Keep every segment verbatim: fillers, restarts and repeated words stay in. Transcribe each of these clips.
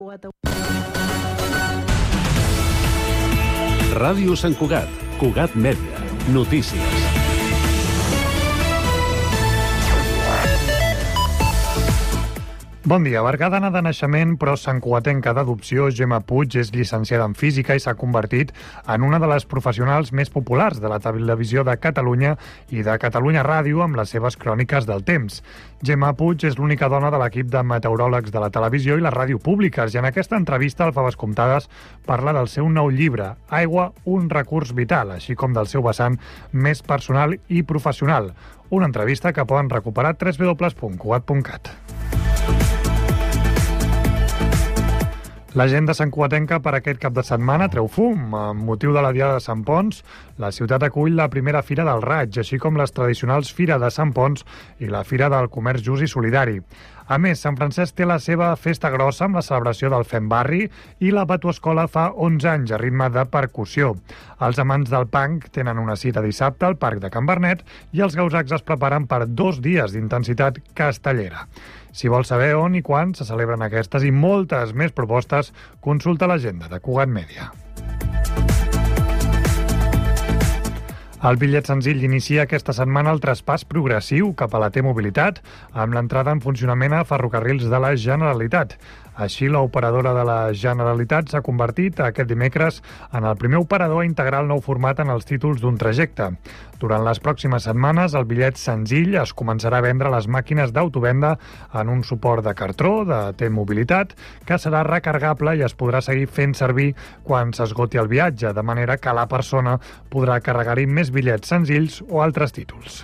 Cugat. Ràdio Sant Cugat, Cugat Mèdia, notícies. Bon dia. Bergadana de naixement, però santcugatenca d'adopció, Gemma Puig és llicenciada en Física i s'ha convertit en una de les professionals més populars de la televisió de Catalunya i de Catalunya Ràdio amb les seves cròniques del temps. Gemma Puig és l'única dona de l'equip de meteoròlegs de la televisió i la ràdio públiques i en aquesta entrevista al Faves Comptades parla del seu nou llibre, Aigua, un recurs vital, així com del seu vessant més personal i professional. Una entrevista que poden recuperar a w w w punt cugat punt cat. L'agenda santcugatenca per aquest cap de setmana treu fum. Amb motiu de la Diada de Sant Ponç, la ciutat acull la primera Fira del Raig, així com les tradicionals Fira de Sant Ponç i la Fira del Comerç Just i Solidari. A més, Sant Francesc té la seva festa grossa amb la celebració del Fem Barri i la Batuescola fa onze anys a ritme de percussió. Els amants del punk tenen una cita dissabte al Parc de Can Bernet i els gausacs es preparen per dos dies d'intensitat castellera. Si vols saber on i quan se celebren aquestes i moltes més propostes, consulta l'agenda de Cugat Mèdia. El bitllet senzill inicia aquesta setmana el traspàs progressiu cap a la T-Mobilitat amb l'entrada en funcionament a ferrocarrils de la Generalitat. Així, l'operadora de la Generalitat s'ha convertit aquest dimecres en el primer operador a integrar el nou format en els títols d'un trajecte. Durant les pròximes setmanes, el bitllet senzill es començarà a vendre a les màquines d'autovenda en un suport de cartró de T-Mobilitat que serà recargable i es podrà seguir fent servir quan s'esgoti el viatge, de manera que la persona podrà carregar-hi més bitllets senzills o altres títols.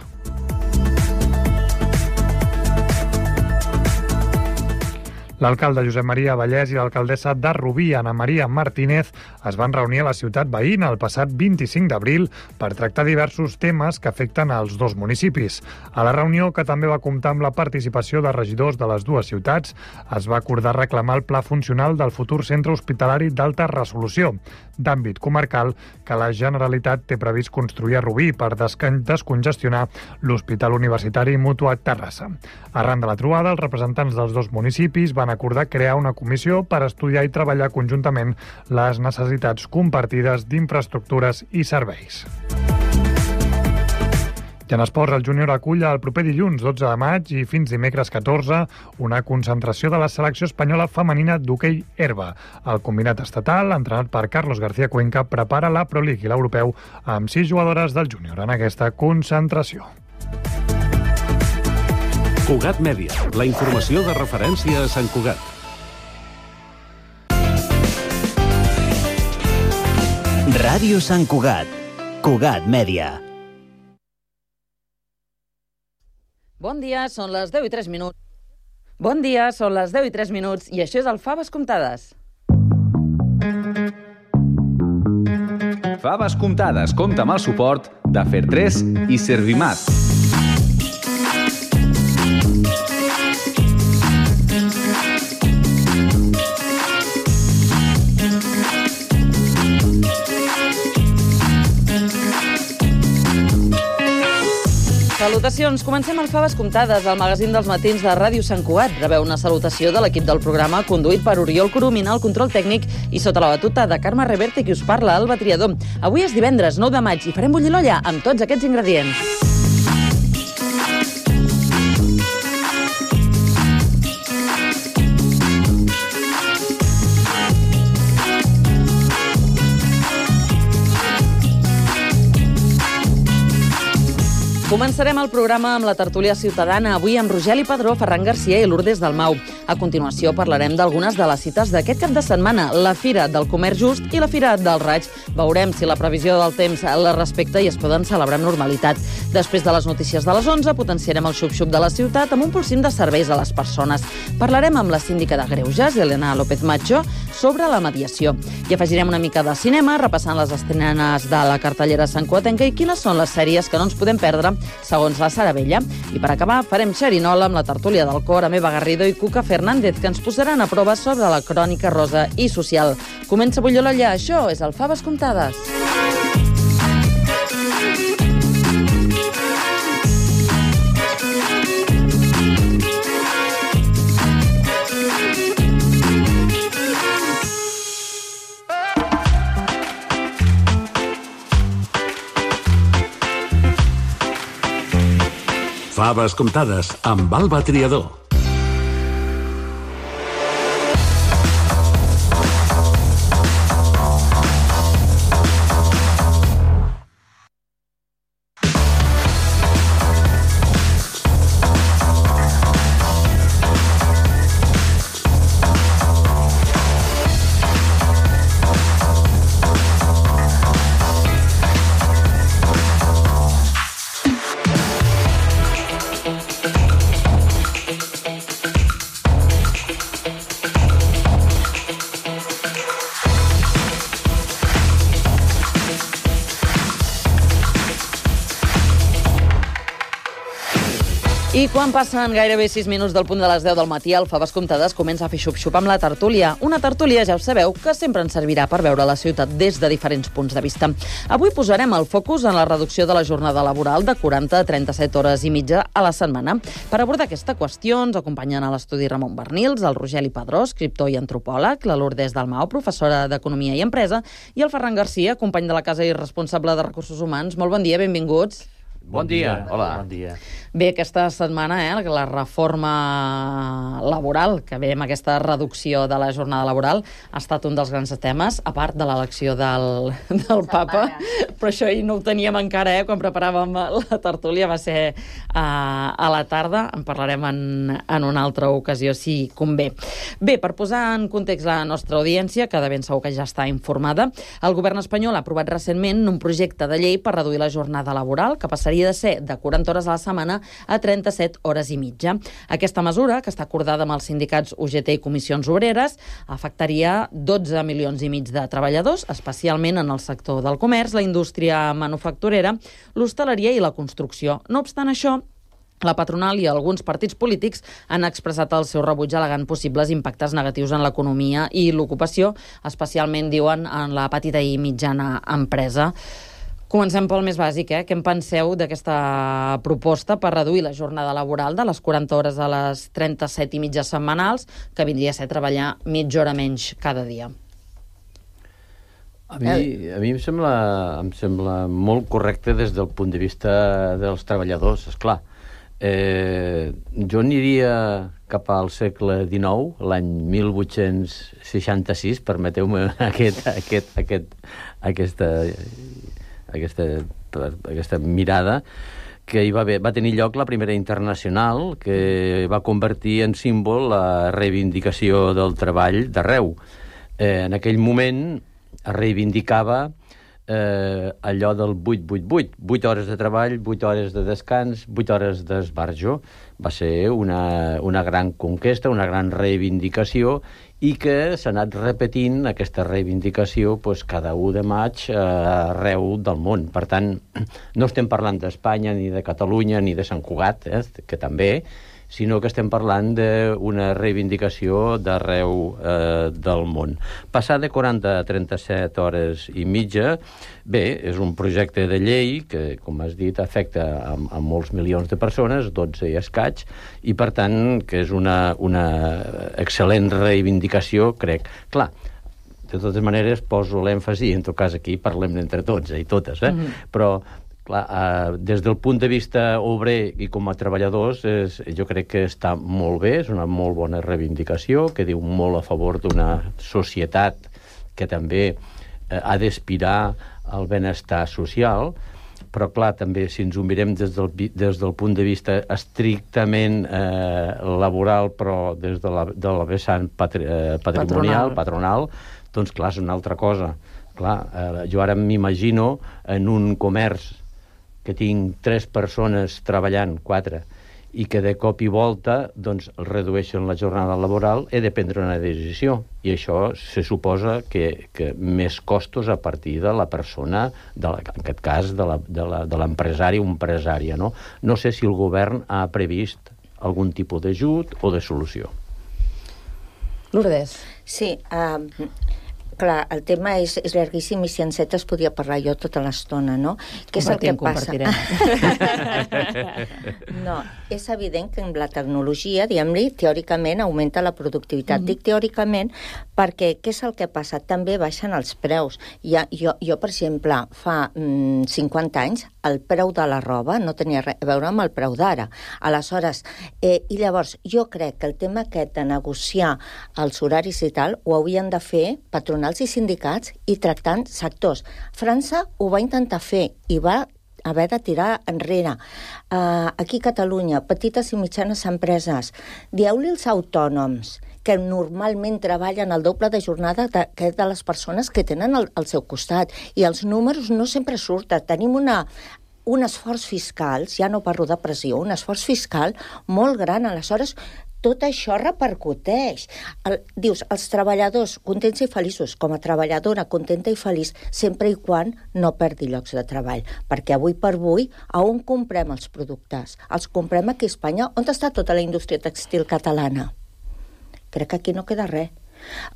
L'alcalde Josep Maria Vallès i l'alcaldessa de Rubí, Ana Maria Martínez, es van reunir a la ciutat veïna el passat vint-i-cinc d'abril per tractar diversos temes que afecten als dos municipis. A la reunió, que també va comptar amb la participació de regidors de les dues ciutats, es va acordar reclamar el pla funcional del futur centre hospitalari d'alta resolució, d'àmbit comarcal, que la Generalitat té previst construir a Rubí per descongestionar l'Hospital Universitari Mútua Terrassa. Arran de la trobada, els representants dels dos municipis van acordar crear una comissió per estudiar i treballar conjuntament les necessitats compartides d'infraestructures i serveis. I en esports, el júnior acull el proper dilluns dotze de maig i fins dimecres catorze una concentració de la selecció espanyola femenina d'hoquei herba. El combinat estatal, entrenat per Carlos García Cuenca, prepara la Pro League i l'Europeu amb sis jugadores del júnior en aquesta concentració. Cugat Mèdia, la informació de referència a Sant Cugat. Ràdio Sant Cugat, Cugat Mèdia. Bon dia, són les deu i tres minuts. Bon dia, són les deu i tres minuts i això és el Faves Comptades. Faves Comptades compta amb el suport de Fer tres i Servimat. Salutacions. Comencem el Faves Comptades, el magazín dels matins de Ràdio Sant Cugat. Rebeu una salutació de l'equip del programa, conduït per Oriol Coromina, el control tècnic, i sota la batuta de Carme Reverte, qui us parla, Alba Triador. Avui és divendres, nou de maig, i farem bullir l'olla amb tots aquests ingredients. Començarem el programa amb la tertúlia ciutadana, avui amb Rogeli Padró, Ferran Garcia i Lourdes Dalmau. A continuació parlarem d'algunes de les cites d'aquest cap de setmana, la Fira del Comerç Just i la Fira del Raig. Veurem si la previsió del temps la respecta i es poden celebrar amb normalitat. Després de les notícies de les onze, potenciarem el xup-xup de la ciutat amb un polsim de serveis a les persones. Parlarem amb la síndica de Greuges, Elena López Macho, sobre la mediació. I afegirem una mica de cinema, repassant les estrenes de la cartellera santcugatenca i quines són les sèries que no ens podem perdre segons la Sara Vella. I per acabar, farem xerinola amb la tertúlia del cor, amb Eva Garrido i Cuca Fernández, que ens posaran a prova sobre la crònica rosa i social. Comença a bullir l'olla, això és el Faves Comptades. Faves comptades amb Alba Triador. I quan passen gairebé sis minuts del punt de les deu del matí, el Faves Comptades comença a fer xup-xup amb la tertúlia. Una tertúlia, ja ho sabeu, que sempre ens servirà per veure la ciutat des de diferents punts de vista. Avui posarem el focus en la reducció de la jornada laboral de quaranta a trenta-set hores i mitja a la setmana. Per abordar aquesta qüestió ens acompanyen a l'estudi Ramon Bernils, el Rogeli Padró, escriptor i antropòleg, la Lourdes Dalmau, professora d'Economia i Empresa, i el Ferran Garcia, company de la casa i responsable de Recursos Humans. Molt bon dia, benvinguts. Bon dia. Hola. Bon dia. Bé, aquesta setmana, eh, la reforma laboral, que ve amb aquesta reducció de la jornada laboral, ha estat un dels grans temes, a part de l'elecció del, del papa. Però això hi no ho teníem encara, eh, quan preparàvem la tertúlia, va ser uh, a la tarda. En parlarem en, en una altra ocasió, si convé. Bé, per posar en context la nostra audiència, que de ben segur que ja està informada, el govern espanyol ha aprovat recentment un projecte de llei per reduir la jornada laboral, que passaria de ser de quaranta hores a la setmana a trenta-set hores i mitja. Aquesta mesura, que està acordada amb els sindicats U G T i Comissions Obreres, afectaria dotze milions i mig de treballadors, especialment en el sector del comerç, la indústria manufacturera, l'hostaleria i la construcció. No obstant això, la patronal i alguns partits polítics han expressat el seu rebuig al·legant possibles impactes negatius en l'economia i l'ocupació, especialment, diuen, en la petita i mitjana empresa. Comencem pel més bàsic, eh? Què en penseu d'aquesta proposta per reduir la jornada laboral de les quaranta hores a les trenta-set i mitja setmanals, que vindria a ser treballar mitja hora menys cada dia? A mi, a mi em sembla, em sembla molt correcte des del punt de vista dels treballadors, esclar. Eh, jo aniria cap al segle dinou, l'any mil vuit-cents seixanta-sis, permeteu-me aquest, aquest, aquest, aquesta... Aquesta, aquesta mirada, que hi va, haver, va tenir lloc la primera internacional, que va convertir en símbol la reivindicació del treball d'arreu. Eh, en aquell moment es reivindicava eh, allò del vuit vuit vuit, vuit hores de treball, vuit hores de descans, vuit hores d'esbarjo. Va ser una, una gran conquesta, una gran reivindicació, i que s'ha anat repetint aquesta reivindicació pues, cada u de maig eh, arreu del món. Per tant, no estem parlant d'Espanya, ni de Catalunya, ni de Sant Cugat, eh, que també, sinó que estem parlant d'una reivindicació d'arreu eh, del món. Passar de quaranta a trenta-set hores i mitja, bé, és un projecte de llei que, com has dit, afecta a, a molts milions de persones, dotze i escaig, i per tant que és una, una excel·lent reivindicació, crec. Clar, de totes maneres poso l'èmfasi, en tot cas aquí parlem entre tots eh, i totes, eh? Mm-hmm. Però clar, eh, des del punt de vista obrer i com a treballadors, és, jo crec que està molt bé, és una molt bona reivindicació, que diu molt a favor d'una societat que també eh, ha d'aspirar al benestar social, però clar, també si ens ho mirem des del, des del punt de vista estrictament eh, laboral, però des de la, de la vessant patri, eh, patrimonial, patronal. patronal, doncs clar, és una altra cosa. Clar, eh, jo ara m'imagino en un comerç que tinc tres persones treballant, quatre, i que de cop i volta doncs, redueixen la jornada laboral, he de prendre una decisió. I això se suposa que, que més costos a partir de la persona, de la, en aquest cas de l'empresari o empresària. No? no sé si el govern ha previst algun tipus d'ajut o de solució. Lourdes. Sí, uh, clar, el tema és, és llarguíssim i si encetes podria parlar jo tota l'estona, no? Què és el que passa? No, és evident que amb la tecnologia, diguem-li, teòricament augmenta la productivitat. Mm. Dic teòricament perquè què és el que passa? També baixen els preus. Ja, jo, jo, per exemple, fa mm, cinquanta anys, el preu de la roba no tenia res a veure amb el preu d'ara. Aleshores, eh, i llavors, jo crec que el tema aquest de negociar els horaris i tal, ho haurien de fer patronals i sindicats i tractant sectors. França ho va intentar fer i va haver de tirar enrere. Uh, aquí a Catalunya, petites i mitjanes empreses, dieu-li als autònoms que normalment treballen el doble de jornada de, que de les persones que tenen al, al seu costat. I els números no sempre surten. Tenim una, un esforç fiscal, ja no parlo de pressió, un esforç fiscal molt gran. Aleshores, tot això repercuteix. El, dius, els treballadors contents i feliços, com a treballadora contenta i feliç, sempre i quan no perdi llocs de treball. Perquè avui per avui, a on comprem els productes? Els comprem aquí a Espanya. On està tota la indústria textil catalana? Crec que aquí no queda res.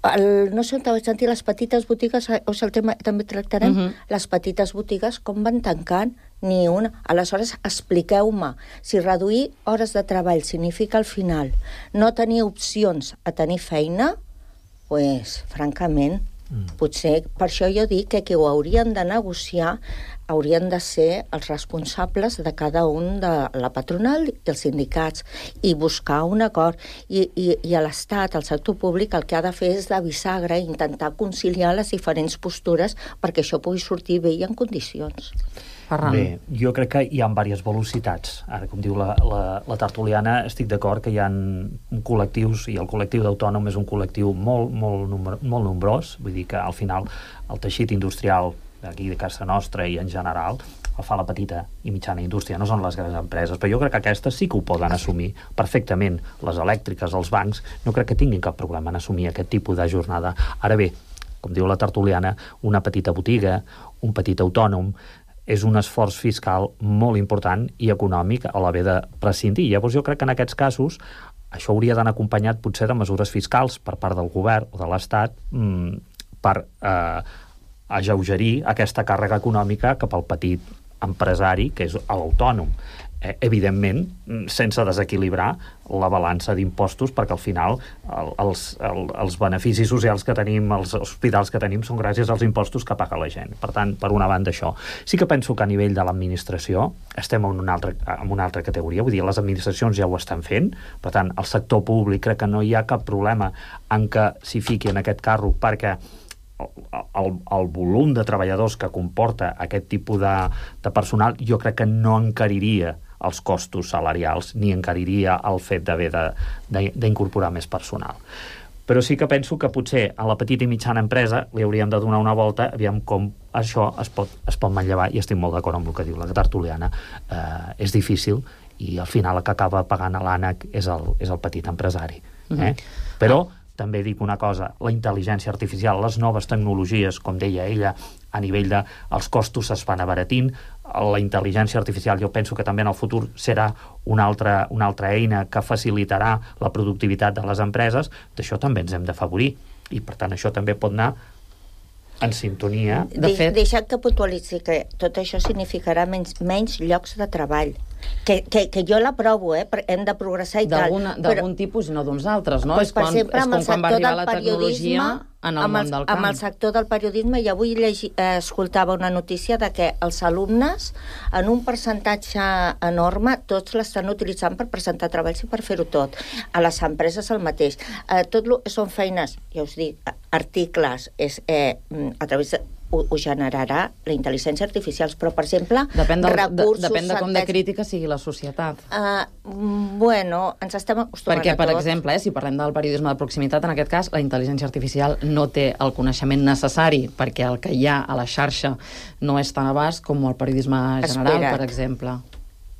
El, no sé on vaig sentir les petites botigues, o sigui, el tema també tractarem, uh-huh. Les petites botigues com van tancant, ni una. Aleshores, expliqueu-me, si reduir hores de treball significa al final no tenir opcions a tenir feina, doncs, pues, francament, mm. potser, per això jo dic que qui ho haurien de negociar haurien de ser els responsables de cada un de la patronal i els sindicats i buscar un acord. I, i, i a l'Estat, al sector públic, el que ha de fer és de bisagra i intentar conciliar les diferents postures perquè això pugui sortir bé i en condicions. Ferran. Bé, jo crec que hi ha diverses velocitats. Ara, com diu la, la, la tertuliana, estic d'acord que hi ha col·lectius, i el col·lectiu d'autònom és un col·lectiu molt, molt, number, molt nombrós, vull dir que al final el teixit industrial d'aquí de casa nostra i en general el fa la petita i mitjana indústria, no són les grans empreses, però jo crec que aquestes sí que ho poden assumir perfectament. Les elèctriques, els bancs, no crec que tinguin cap problema en assumir aquest tipus de jornada. Ara bé, com diu la tertuliana, una petita botiga, un petit autònom, és un esforç fiscal molt important i econòmic a l'haver de prescindir. Llavors jo crec que en aquests casos això hauria d'anar acompanyat potser de mesures fiscals per part del govern o de l'Estat mmm, per eh, alleugerir aquesta càrrega econòmica cap al petit empresari, que és l'autònom. Eh, evidentment, sense desequilibrar la balança d'impostos, perquè al final el, els, el, els beneficis socials que tenim, els hospitals que tenim, són gràcies als impostos que paga la gent. Per tant, per una banda, això. Sí que penso que a nivell de l'administració estem en una altra, en una altra categoria, vull dir, les administracions ja ho estan fent, per tant, el sector públic crec que no hi ha cap problema en que s'hi fiqui en aquest carro, perquè El, el, el volum de treballadors que comporta aquest tipus de, de personal jo crec que no encariria els costos salarials ni encariria el fet d'haver d'incorporar més personal. Però sí que penso que potser a la petita i mitjana empresa li hauríem de donar una volta, aviam com això es pot, es pot manllevar, i estic molt d'acord amb el que diu la tertuliana. Eh, és difícil i al final el que acaba pagant a l'ànec és el, és el petit empresari. Eh? Mm-hmm. Però també dic una cosa, la intel·ligència artificial, les noves tecnologies, com deia ella, a nivell de els costos es van abaratint, la intel·ligència artificial jo penso que també en el futur serà una altra, una altra eina que facilitarà la productivitat de les empreses, d'això també ens hem d'afavorir, i per tant això també pot anar en sintonia. De fet... Deixa't que puntualitzi que tot això significarà menys, menys llocs de treball. Que, que, que jo l'aprovo, eh? Hem de progressar i tal. D'algun tipus i no d'uns altres, no? Pues, és, quan, exemple, és com quan va arribar la tecnologia en el amb món el, del camp. Amb el sector del periodisme, i avui llegi, eh, escoltava una notícia de que els alumnes, en un percentatge enorme, tots l'estan utilitzant per presentar treballs i per fer-ho tot. A les empreses el mateix. Eh, tot lo, són feines, ja us dic, articles, és, eh, a través de Ho, ho generarà la intel·ligència artificial, però, per exemple, depèn del, recursos... De, depèn de com de crítica sigui la societat. Uh, bueno, ens estem acostumant Perquè, a tot. per exemple, eh, si parlem del periodisme de proximitat, en aquest cas, la intel·ligència artificial no té el coneixement necessari, perquè el que hi ha a la xarxa no és tan abast com el periodisme general, Espera't. per exemple.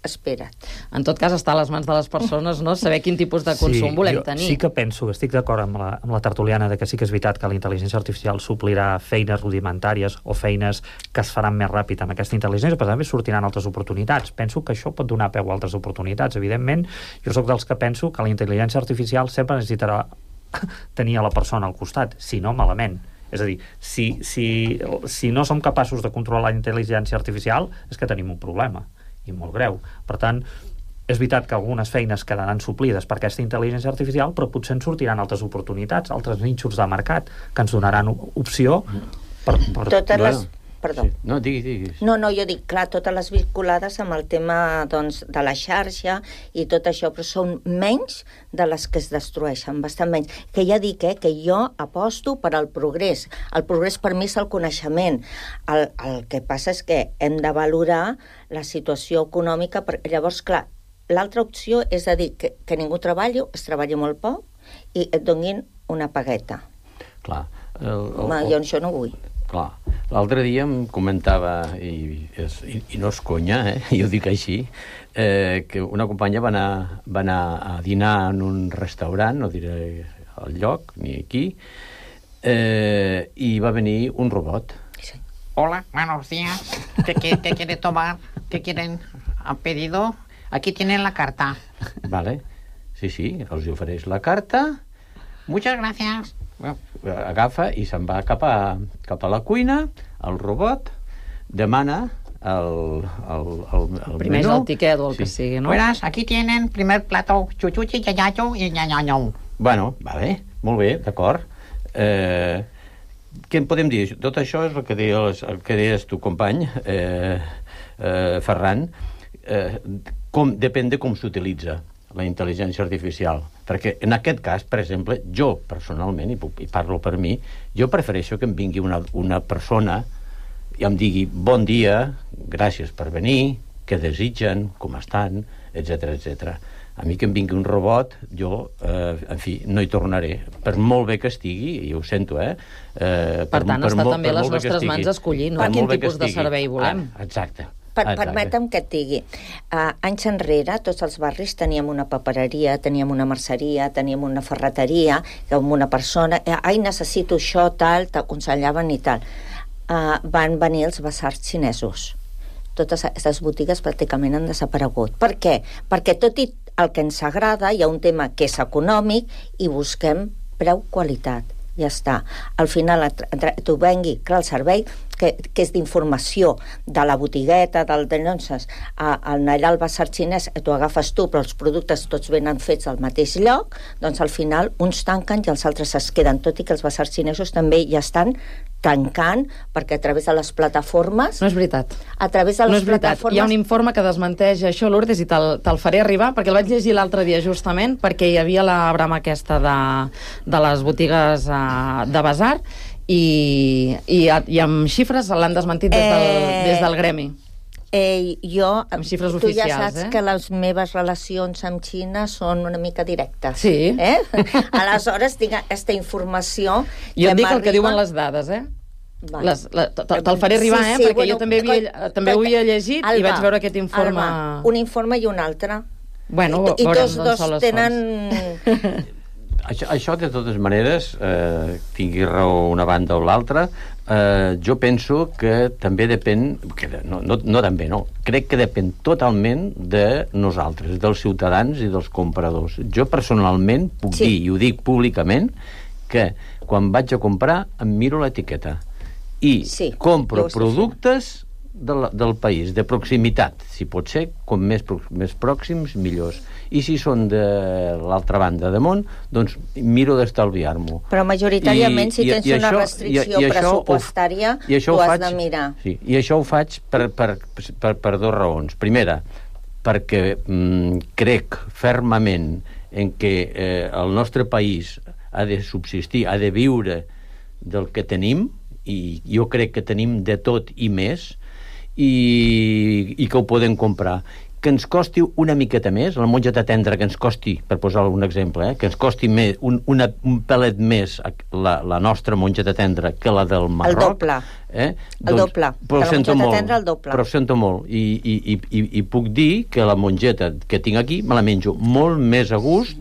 Espera't. En tot cas, està a les mans de les persones, no?, saber quin tipus de consum sí, volem jo tenir. Sí que penso, estic d'acord amb, la, amb la tertuliana de que sí que és veritat que la intel·ligència artificial suplirà feines rudimentàries o feines que es faran més ràpid amb aquesta intel·ligència, però també sortiran altres oportunitats. Penso que això pot donar peu a altres oportunitats. Evidentment, jo sóc dels que penso que la intel·ligència artificial sempre necessitarà tenir a la persona al costat, si no malament. És a dir, si, si, si no som capaços de controlar la intel·ligència artificial, és que tenim un problema, i molt greu. Per tant, és veritat que algunes feines quedaran suplides per aquesta intel·ligència artificial, però potser ens sortiran altres oportunitats, altres nínxols de mercat, que ens donaran opció per... per... Totes les... Perdó. Sí. No, digui, digui. No, no, jo dic, clar, totes les vinculades amb el tema, doncs, de la xarxa i tot això, però són menys de les que es destrueixen, bastant menys. Que ja dic, eh, que jo aposto per al progrés. El progrés per mi és el coneixement. El, el que passa és que hem de valorar la situació econòmica, perquè llavors, clar, l'altra opció és a dir que, que ningú treballi, es treballi molt poc i et donin una pagueta. Clar. El, el, Ma, jo això no vull. Clar. L'altre dia em comentava, i, és, i, i no és conya, eh? Jo dic així, eh, que una companya va anar, va anar a dinar en un restaurant, no diré el lloc, ni aquí, eh, i va venir un robot. Sí. Hola, buenos días. ¿Qué, qué, qué quiere tomar? ¿Qué quieren? ¿Han pedido? Aquí tienen la carta. Vale. Sí, sí, els ofereix la carta. Muchas gracias. Agafa i se'n va cap a, cap a la cuina, el robot, demana el, el, el, el primer és menú. el tiquet o el Sí. que sigui, no? Buenas, aquí tienen primer plato, chuchuchi, yayayo y ñañaño. Bueno, va bé, molt bé, d'acord. Eh, què en podem dir? Tot això és el que deies, el que deies tu, company, eh, eh, Ferran. Eh, com, depèn de com s'utilitza la intel·ligència artificial. Perquè en aquest cas, per exemple, jo personalment, i, puc, i parlo per mi, jo prefereixo que em vingui una, una persona i em digui bon dia, gràcies per venir, què desitgen, com estan, etcètera, etcètera. A mi que em vingui un robot, jo, eh, en fi, no hi tornaré. Per molt bé que estigui, i ho sento, eh? eh Per tant, per està molt- també per a les molt bé que nostres estigui. mans escollir, no? Per Quin molt bé que tipus de estigui. servei volem. Ah, exacte. Per, Exacte. permetem que et digui, uh, anys enrere tots els barris teníem una papereria, teníem una merceria, teníem una ferreteria, amb una persona, eh, ai, necessito això, tal, t'aconsellaven i tal. Uh, van venir els basars xinesos. Totes aquestes botigues pràcticament han desaparegut. Per què? Perquè tot i el que ens agrada, hi ha un tema que és econòmic i busquem preu-qualitat. Ja està. Al final t'ho vengui, clar, el servei que, que és d'informació de la botigueta, del denonces, al anar al basar xinès, t'ho agafes tu, però els productes tots venen fets al mateix lloc, doncs al final uns tanquen i els altres es queden, tot i que els basars xinesos també ja estan tancant, perquè a través de les plataformes... No és veritat. A través de les no és veritat. plataformes... Hi ha un informe que desmenteix això, Lourdes, i te'l te faré arribar, perquè el vaig llegir l'altre dia justament, perquè hi havia la brama aquesta de, de les botigues uh, de basar, i, i, i amb xifres l'han desmentit des del, Eh... des del gremi. Eh, jo, Amb xifres tu oficials, ja saps eh? que les meves relacions amb Xina són una mica directes. Sí. Eh? Aleshores, tinc aquesta informació... Jo et dic el que m'arriba- diuen les dades, eh? Vale. Les, la, te- Te'l faré arribar, Sí, eh? sí, Perquè bueno, jo també, havia, coi- també ho havia llegit Alba, i vaig veure aquest informe... Alba, un informe i un altre. Bueno, I, i veurem tots d'on dos són les tenen... Això, això, de totes maneres, eh, tingui raó una banda o l'altra, eh, jo penso que també depèn, que no, no, no també, no, crec que depèn totalment de nosaltres, dels ciutadans i dels compradors. Jo personalment puc Sí. dir, i ho dic públicament, que quan vaig a comprar em miro l'etiqueta i Sí, compro jo ho estic productes del, del país, de proximitat, si pot ser, com més, pro- més pròxims, millors. I si són de l'altra banda de món, doncs miro d'estalviar-m'ho. Però majoritàriament, si tens una això- restricció i- i això ho- pressupostària, i això tu ho has faig- de mirar. Sí, i això ho faig per, per, per, per dues raons. Primera, perquè mm, crec fermament en què eh, el nostre país ha de subsistir, ha de viure del que tenim, i jo crec que tenim de tot i més, i, i que ho podem comprar. Que ens costi una miqueta més, la mongeta tendra, que ens costi, per posar un exemple, eh, que ens costi més, un, una, un pelet més la, la nostra mongeta tendra que la del Marroc. El doble. Eh? El doble. Però De la sento mongeta molt, tendra, el doble. Però sento molt. I, i, i, i, i puc dir que la mongeta que tinc aquí me la menjo molt més a gust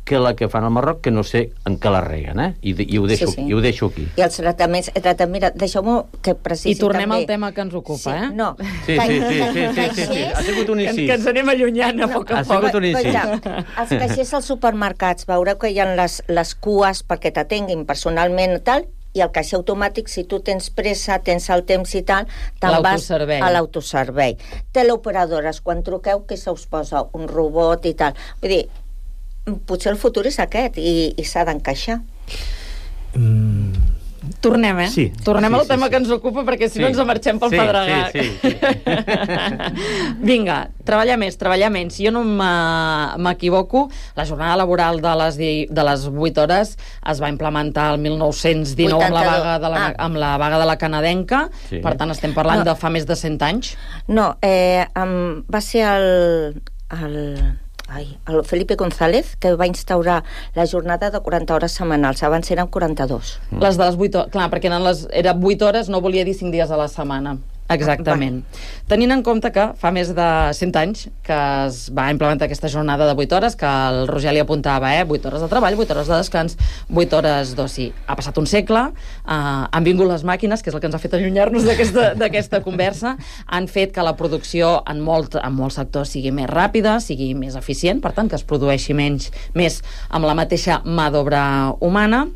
que la que fan al Marroc, que no sé en què la reguen, eh? I, i, ho, deixo, Sí, sí. i ho deixo aquí. I els tractaments... El tractament, mira, deixeu-me que precisi I tornem també. al tema que ens ocupa, sí, eh? No. Sí, sí, sí, sí, sí, sí, sí. Ha sigut un Que, incís. que ens anem allunyant a poc a Ha poc. sigut un incís. Escolta, els caixers als supermercats, veureu que hi ha les, les cues perquè t'atenguin personalment i tal, i el caixer automàtic, si tu tens pressa, tens el temps i tal, te'n vas a l'autoservei. Teleoperadores, quan truqueu, que se us posa un robot i tal. Vull dir, potser el futur és aquest i, i s'ha d'encaixar. Mm. Tornem, eh? Sí. Tornem sí, al sí, tema sí. que ens ocupa, perquè si sí. no ens marxem pel sí, pedregar. Sí, sí, sí. Vinga, treballar més, treballar menys. Si jo no m'equivoco, la jornada laboral de les, de les vuit hores es va implementar el mil nou-cents dinou amb la vaga de la, ah. amb la vaga de la canadenca, sí. Per tant estem parlant no. de fa més de cent anys. No, eh, um, va ser el... el... Ai, el Felipe González, que va instaurar la jornada de quaranta hores setmanals. Abans eren quaranta-dos. Mm. Les de les vuit hores, clar, perquè eren les, era vuit hores, no volia dir cinc dies a la setmana. Exactament. Ah, tenint en compte que fa més de cent anys que es va implementar aquesta jornada de vuit hores, que el Roger li apuntava, eh? vuit hores de treball, vuit hores de descans, vuit hores d'oci. Ha passat un segle, eh, han vingut les màquines, que és el que ens ha fet allunyar-nos d'aquesta conversa, han fet que la producció en, molt, en molts sectors sigui més ràpida, sigui més eficient, per tant, que es produeixi menys, més amb la mateixa mà d'obra humana.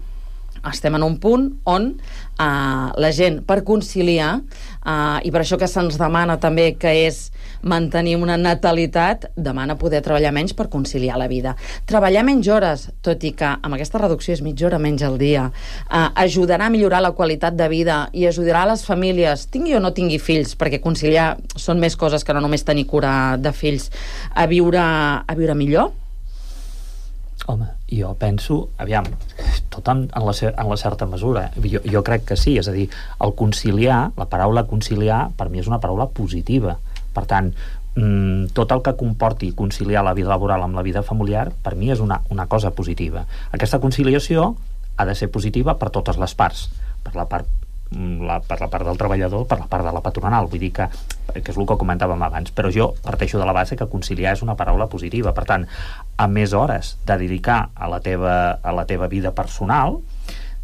Estem en un punt on uh, la gent, per conciliar, uh, i per això que se'ns demana també que és mantenir una natalitat, demana poder treballar menys per conciliar la vida. Treballar menys hores, tot i que amb aquesta reducció és mitja hora menys al dia, uh, ajudarà a millorar la qualitat de vida i ajudarà a les famílies, tingui o no tingui fills, perquè conciliar són més coses que no només tenir cura de fills, a viure, a viure millor? Home, jo penso, aviam, tot en, en, la, en la certa mesura, jo, jo crec que sí, és a dir, el conciliar, la paraula conciliar, per mi és una paraula positiva. Per tant, mmm, tot el que comporti conciliar la vida laboral amb la vida familiar, per mi és una, una cosa positiva. Aquesta conciliació ha de ser positiva per totes les parts, per la part La, per la part del treballador, per la part de la patronal, vull dir que, que és el que comentàvem abans, però jo parteixo de la base que conciliar és una paraula positiva. Per tant, a més hores de dedicar a la teva, a la teva vida personal,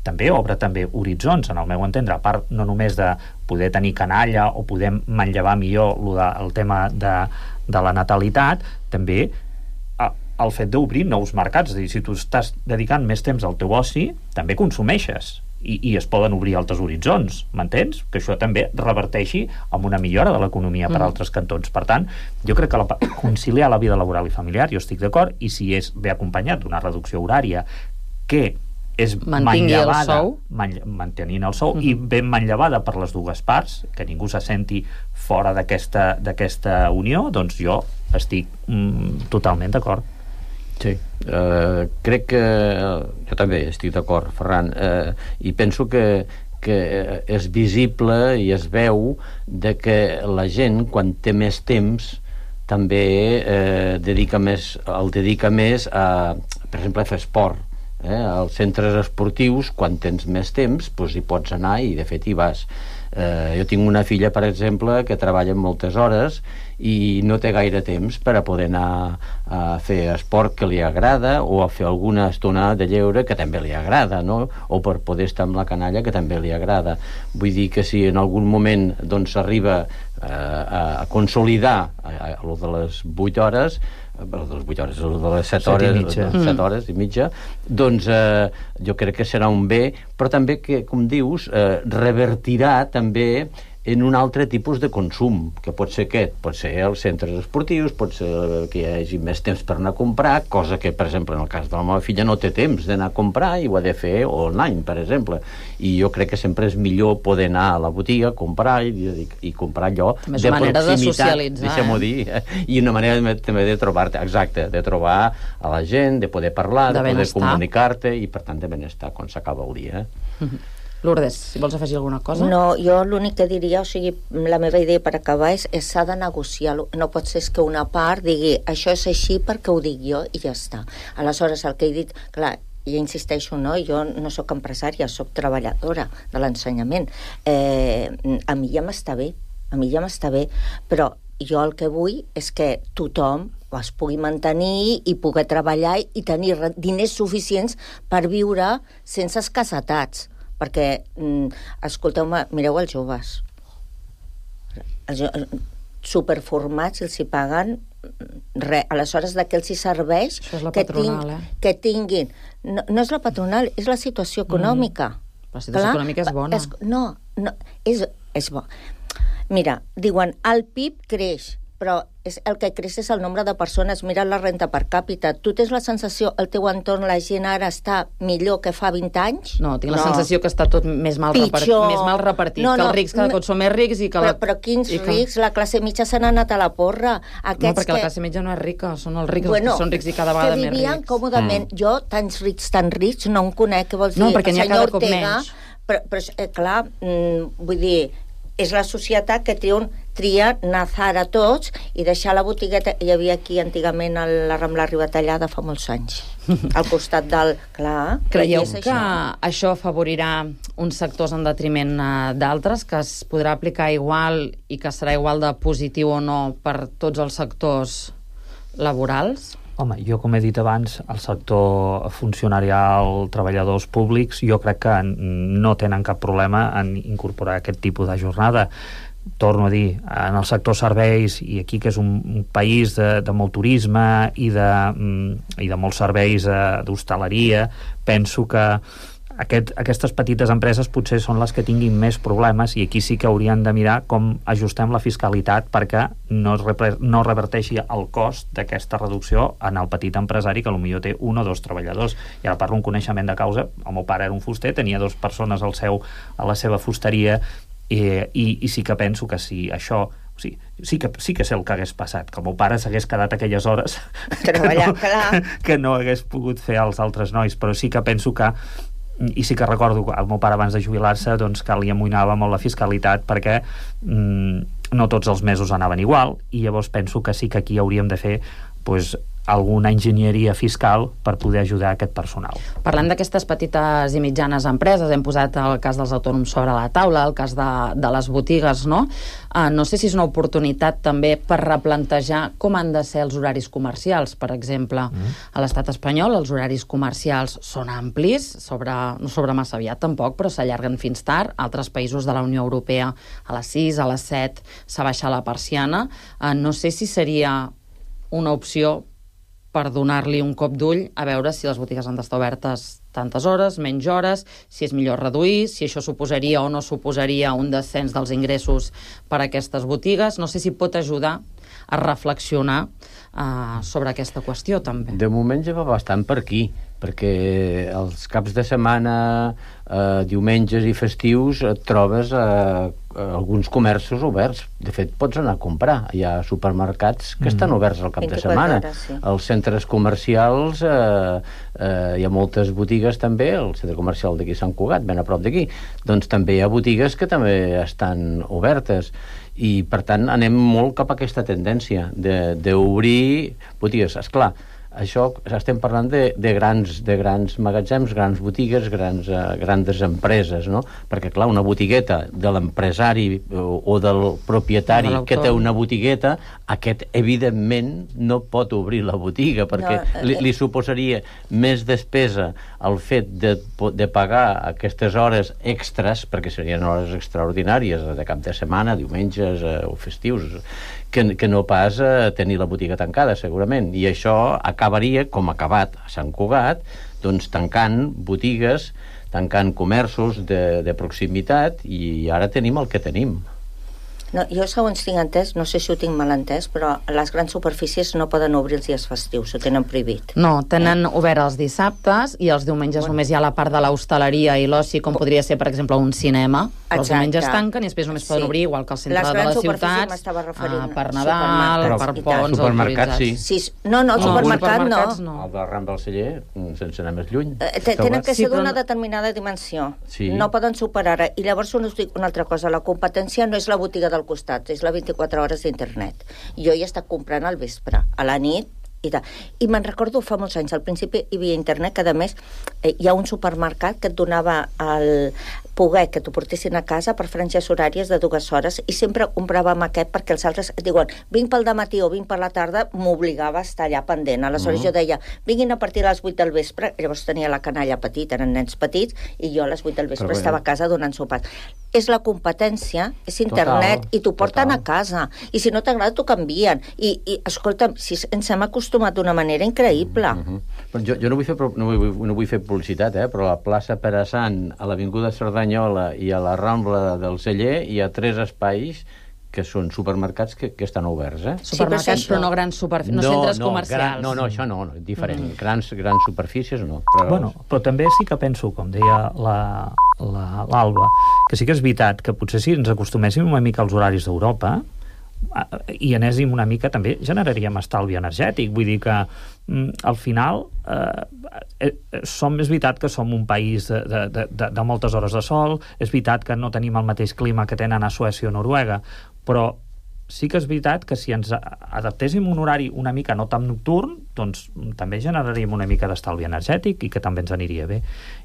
també obre també horitzons, en el meu entendre, a part no només de poder tenir canalla o poder manllevar millor el, de, el tema de, de la natalitat, també a, el fet d'obrir nous mercats. És a dir, si tu estàs dedicant més temps al teu oci, també consumeixes. I, i es poden obrir altres horitzons, m'entens? Que això també reverteixi amb una millora de l'economia per mm. altres cantons. Per tant, jo crec que la, conciliar la vida laboral i familiar, jo estic d'acord, i si és bé acompanyat d'una reducció horària que és manllevada, man, mantenint el sou, mm-hmm. i ben manllevada per les dues parts, que ningú se senti fora d'aquesta d'aquesta unió, doncs jo estic mm, totalment d'acord. Sí, eh, crec que jo també estic d'acord, Ferran, eh, i penso que, que és visible i es veu de que la gent, quan té més temps, també eh, dedica més, el dedica més a, per exemple, a fer esport. Eh? Als centres esportius, quan tens més temps, doncs hi pots anar i, de fet, hi vas. Eh, jo tinc una filla, per exemple, que treballa moltes hores i no té gaire temps per a poder anar a fer esport que li agrada o a fer alguna estona de lleure que també li agrada, no? O per poder estar amb la canalla que també li agrada. Vull dir que si en algun moment doncs s'arriba eh, a consolidar a, a, a lo de les vuit hores, de les vuit hores, de les set hores, set hores i mitja, doncs eh, jo crec que serà un bé, però també que, com dius, eh, revertirà també en un altre tipus de consum, que pot ser aquest, pot ser els centres esportius, pot ser que hi hagi més temps per anar a comprar, cosa que, per exemple, en el cas de la meva filla no té temps d'anar a comprar i ho ha de fer online, per exemple. I jo crec que sempre és millor poder anar a la botiga, comprar i, i, i comprar allò també és una manera de socialitzar, deixem-ho dir, eh? I una manera també de trobar-te, exacte, de trobar a la gent, de poder parlar, de, de poder comunicar-te i, per tant, de benestar quan s'acaba el dia. Mm-hmm. Lourdes, si vols afegir alguna cosa? No, jo l'únic que diria, o sigui, la meva idea per acabar és que s'ha de negociar. No pot ser que una part digui això és així perquè ho dic jo i ja està. Aleshores, el que he dit, clar, jo insisteixo, no? Jo no sóc empresària, sóc treballadora de l'ensenyament. Eh, a mi ja m'està bé, a mi ja m'està bé, però jo el que vull és que tothom es pugui mantenir i pugui treballar i tenir diners suficients per viure sense escassetats. Perquè, escolteu-me, mireu els joves. Els superformats, els hi paguen res. Aleshores, de què els hi serveix? Això és la que, patronal, ting, eh? que tinguin... No, no és la patronal, és la situació econòmica. Mm. La situació Clar, econòmica és bona. És, no, no és, és bo. Mira, diuen, el P I B creix, però és, el que creix és el nombre de persones. Mira la renta per càpita. Tu tens la sensació, al teu entorn, la gent ara està millor que fa vint anys? No, tinc la no. sensació que està tot més mal, repart... més mal repartit, no, no, que els rics cada cop són més rics i que... Però, la... però quins que... rics? La classe mitja se n'ha anat a la porra. Aquests no, perquè que... la classe mitja no és rica, són els rics bueno, els que són rics i cada vegada més rics. Que vivien còmodament. Mm. Jo, tants rics, tan rics, no en conec, què vols dir? No, perquè n'hi ha cada cop Ortega, menys. Però, però eh, clar, mm, vull dir, és la societat que tria, tria nazar a tots i deixar la botigueta. Hi havia aquí antigament a la Rambla Ribatallada fa molts anys, al costat del... Clar, creieu que això. això afavorirà uns sectors en detriment d'altres, que es podrà aplicar igual i que serà igual de positiu o no per tots els sectors laborals? Home, jo, com he dit abans, el sector funcionarial, treballadors públics, jo crec que no tenen cap problema en incorporar aquest tipus de jornada. Torno a dir, en el sector serveis, i aquí que és un, un país de, de molt turisme i de, i de molts serveis d'hostaleria, penso que Aquest, aquestes petites empreses potser són les que tinguin més problemes i aquí sí que haurien de mirar com ajustem la fiscalitat perquè no, es repre, no reverteixi el cost d'aquesta reducció en el petit empresari que potser té un o dos treballadors. I ara parlo un coneixement de causa. El meu pare era un fuster, tenia dues persones al seu, a la seva fusteria i, i, i sí que penso que si això o sigui, sí que, sí que sé el que hagués passat, que el meu pare s'hagués quedat aquelles hores que no, que no hagués pogut fer als altres nois, però sí que penso que i sí que recordo el meu pare abans de jubilar-se doncs que li amoïnava molt la fiscalitat perquè mm, no tots els mesos anaven igual i llavors penso que sí que aquí hauríem de fer pues, alguna enginyeria fiscal per poder ajudar aquest personal. Parlem d'aquestes petites i mitjanes empreses, hem posat el cas dels autònoms sobre la taula, el cas de, de les botigues, no? Uh, no sé si és una oportunitat també per replantejar com han de ser els horaris comercials, per exemple. Mm. A l'estat espanyol els horaris comercials són amplis, sobre, no sobre massa aviat tampoc, però s'allarguen fins tard. Altres països de la Unió Europea a les sis, a les set s'ha baixat la persiana. Uh, no sé si seria una opció per donar-li un cop d'ull a veure si les botigues han d'estar obertes tantes hores, menys hores, si és millor reduir, si això suposaria o no suposaria un descens dels ingressos per a aquestes botigues. No sé si pot ajudar a reflexionar uh, sobre aquesta qüestió, també. De moment ja va bastant per aquí, perquè els caps de setmana, eh, diumenges i festius, et trobes eh, alguns comerços oberts. De fet, pots anar a comprar. Hi ha supermercats que mm. estan oberts al cap de setmana. Hores, sí. Els centres comercials, eh, eh, hi ha moltes botigues també, el centre comercial d'aquí Sant Cugat, ben a prop d'aquí, doncs també hi ha botigues que també estan obertes. I, per tant, anem molt cap a aquesta tendència d'obrir botigues. Esclar, això estem parlant de, de, grans, de grans magatzems, grans botigues, grans, uh, grandes empreses, no? Perquè, clar, una botigueta de l'empresari o, o del propietari de que té una botigueta, aquest, evidentment, no pot obrir la botiga, perquè no, eh, li, li suposaria més despesa el fet de, de pagar aquestes hores extres, perquè serien hores extraordinàries, de cap de setmana, diumenges eh, o festius, que, que no pas eh, tenir la botiga tancada, segurament. I això acabaria, com ha acabat a Sant Cugat, doncs tancant botigues, tancant comerços de, de proximitat, i ara tenim el que tenim. No, jo, segons tinc entès, no sé si ho tinc mal entès, però les grans superfícies no poden obrir els dies festius, ho tenen prohibit. No, tenen eh? obert els dissabtes i els diumenges bueno. només hi ha la part de l'hostaleria i l'oci, com podria ser, per exemple, un cinema. Però els diumenges tanquen i després només sí. poden obrir, igual que al centre de les ciutats, ah, per Nadal, per ponts, supermercats, sí. sí. No, no, el no, supermercat no. no. El del Ram del Celler, sense anar més lluny. Eh, tenen que ser sí, d'una no... determinada dimensió. Sí. No poden superar. I llavors us dic una altra cosa, la competència no és la botiga del costat, és la vint-i-quatre hores d'internet. Jo hi he estat comprant al vespre, a la nit, i tal. I me'n recordo fa molts anys, al principi hi havia internet, que a més eh, hi ha un supermercat que et donava el... poder que t'ho portessin a casa per franges horàries de dues hores, i sempre compràvem aquest perquè els altres et diuen, vinc pel dematí o vinc per la tarda, m'obligava a estar allà pendent. Aleshores uh-huh. jo deia, vinguin a partir de les vuit del vespre, llavors tenia la canalla petita, eren nens petits, i jo a les vuit del vespre Però estava a casa donant sopars. És la competència, és internet, total, i t'ho porten total. a casa. I si no t'agrada, t'ho canvien. I, i escolta'm, si ens hem acostumat d'una manera increïble. Uh-huh. Però jo, jo no, vull fer, no, vull, no vull fer publicitat, eh? però a la plaça Pere Sant, a l'Avinguda Cerdanyola i a la Rambla del Celler hi ha tres espais que són supermercats que, que estan oberts, eh? Supermercats, sí, però, però no grans superfícies, no, no centres no, comercials. Gran, no, no, això no, no diferent. Mm. Grans, grans superfícies, no. Però... Bueno, però també sí que penso, com deia la, la, l'Alba, que sí que és veritat que potser si ens acostuméssim una mica als horaris d'Europa i anéssim una mica, també generaríem estalvi energètic. Vull dir que mm, al final eh, eh, som, és veritat que som un país de, de, de, de moltes hores de sol, és veritat que no tenim el mateix clima que tenen a Suècia o Noruega, però sí que és veritat que si ens adaptéssim un horari una mica no tan nocturn, doncs també generaríem una mica d'estalvi energètic i que també ens aniria bé.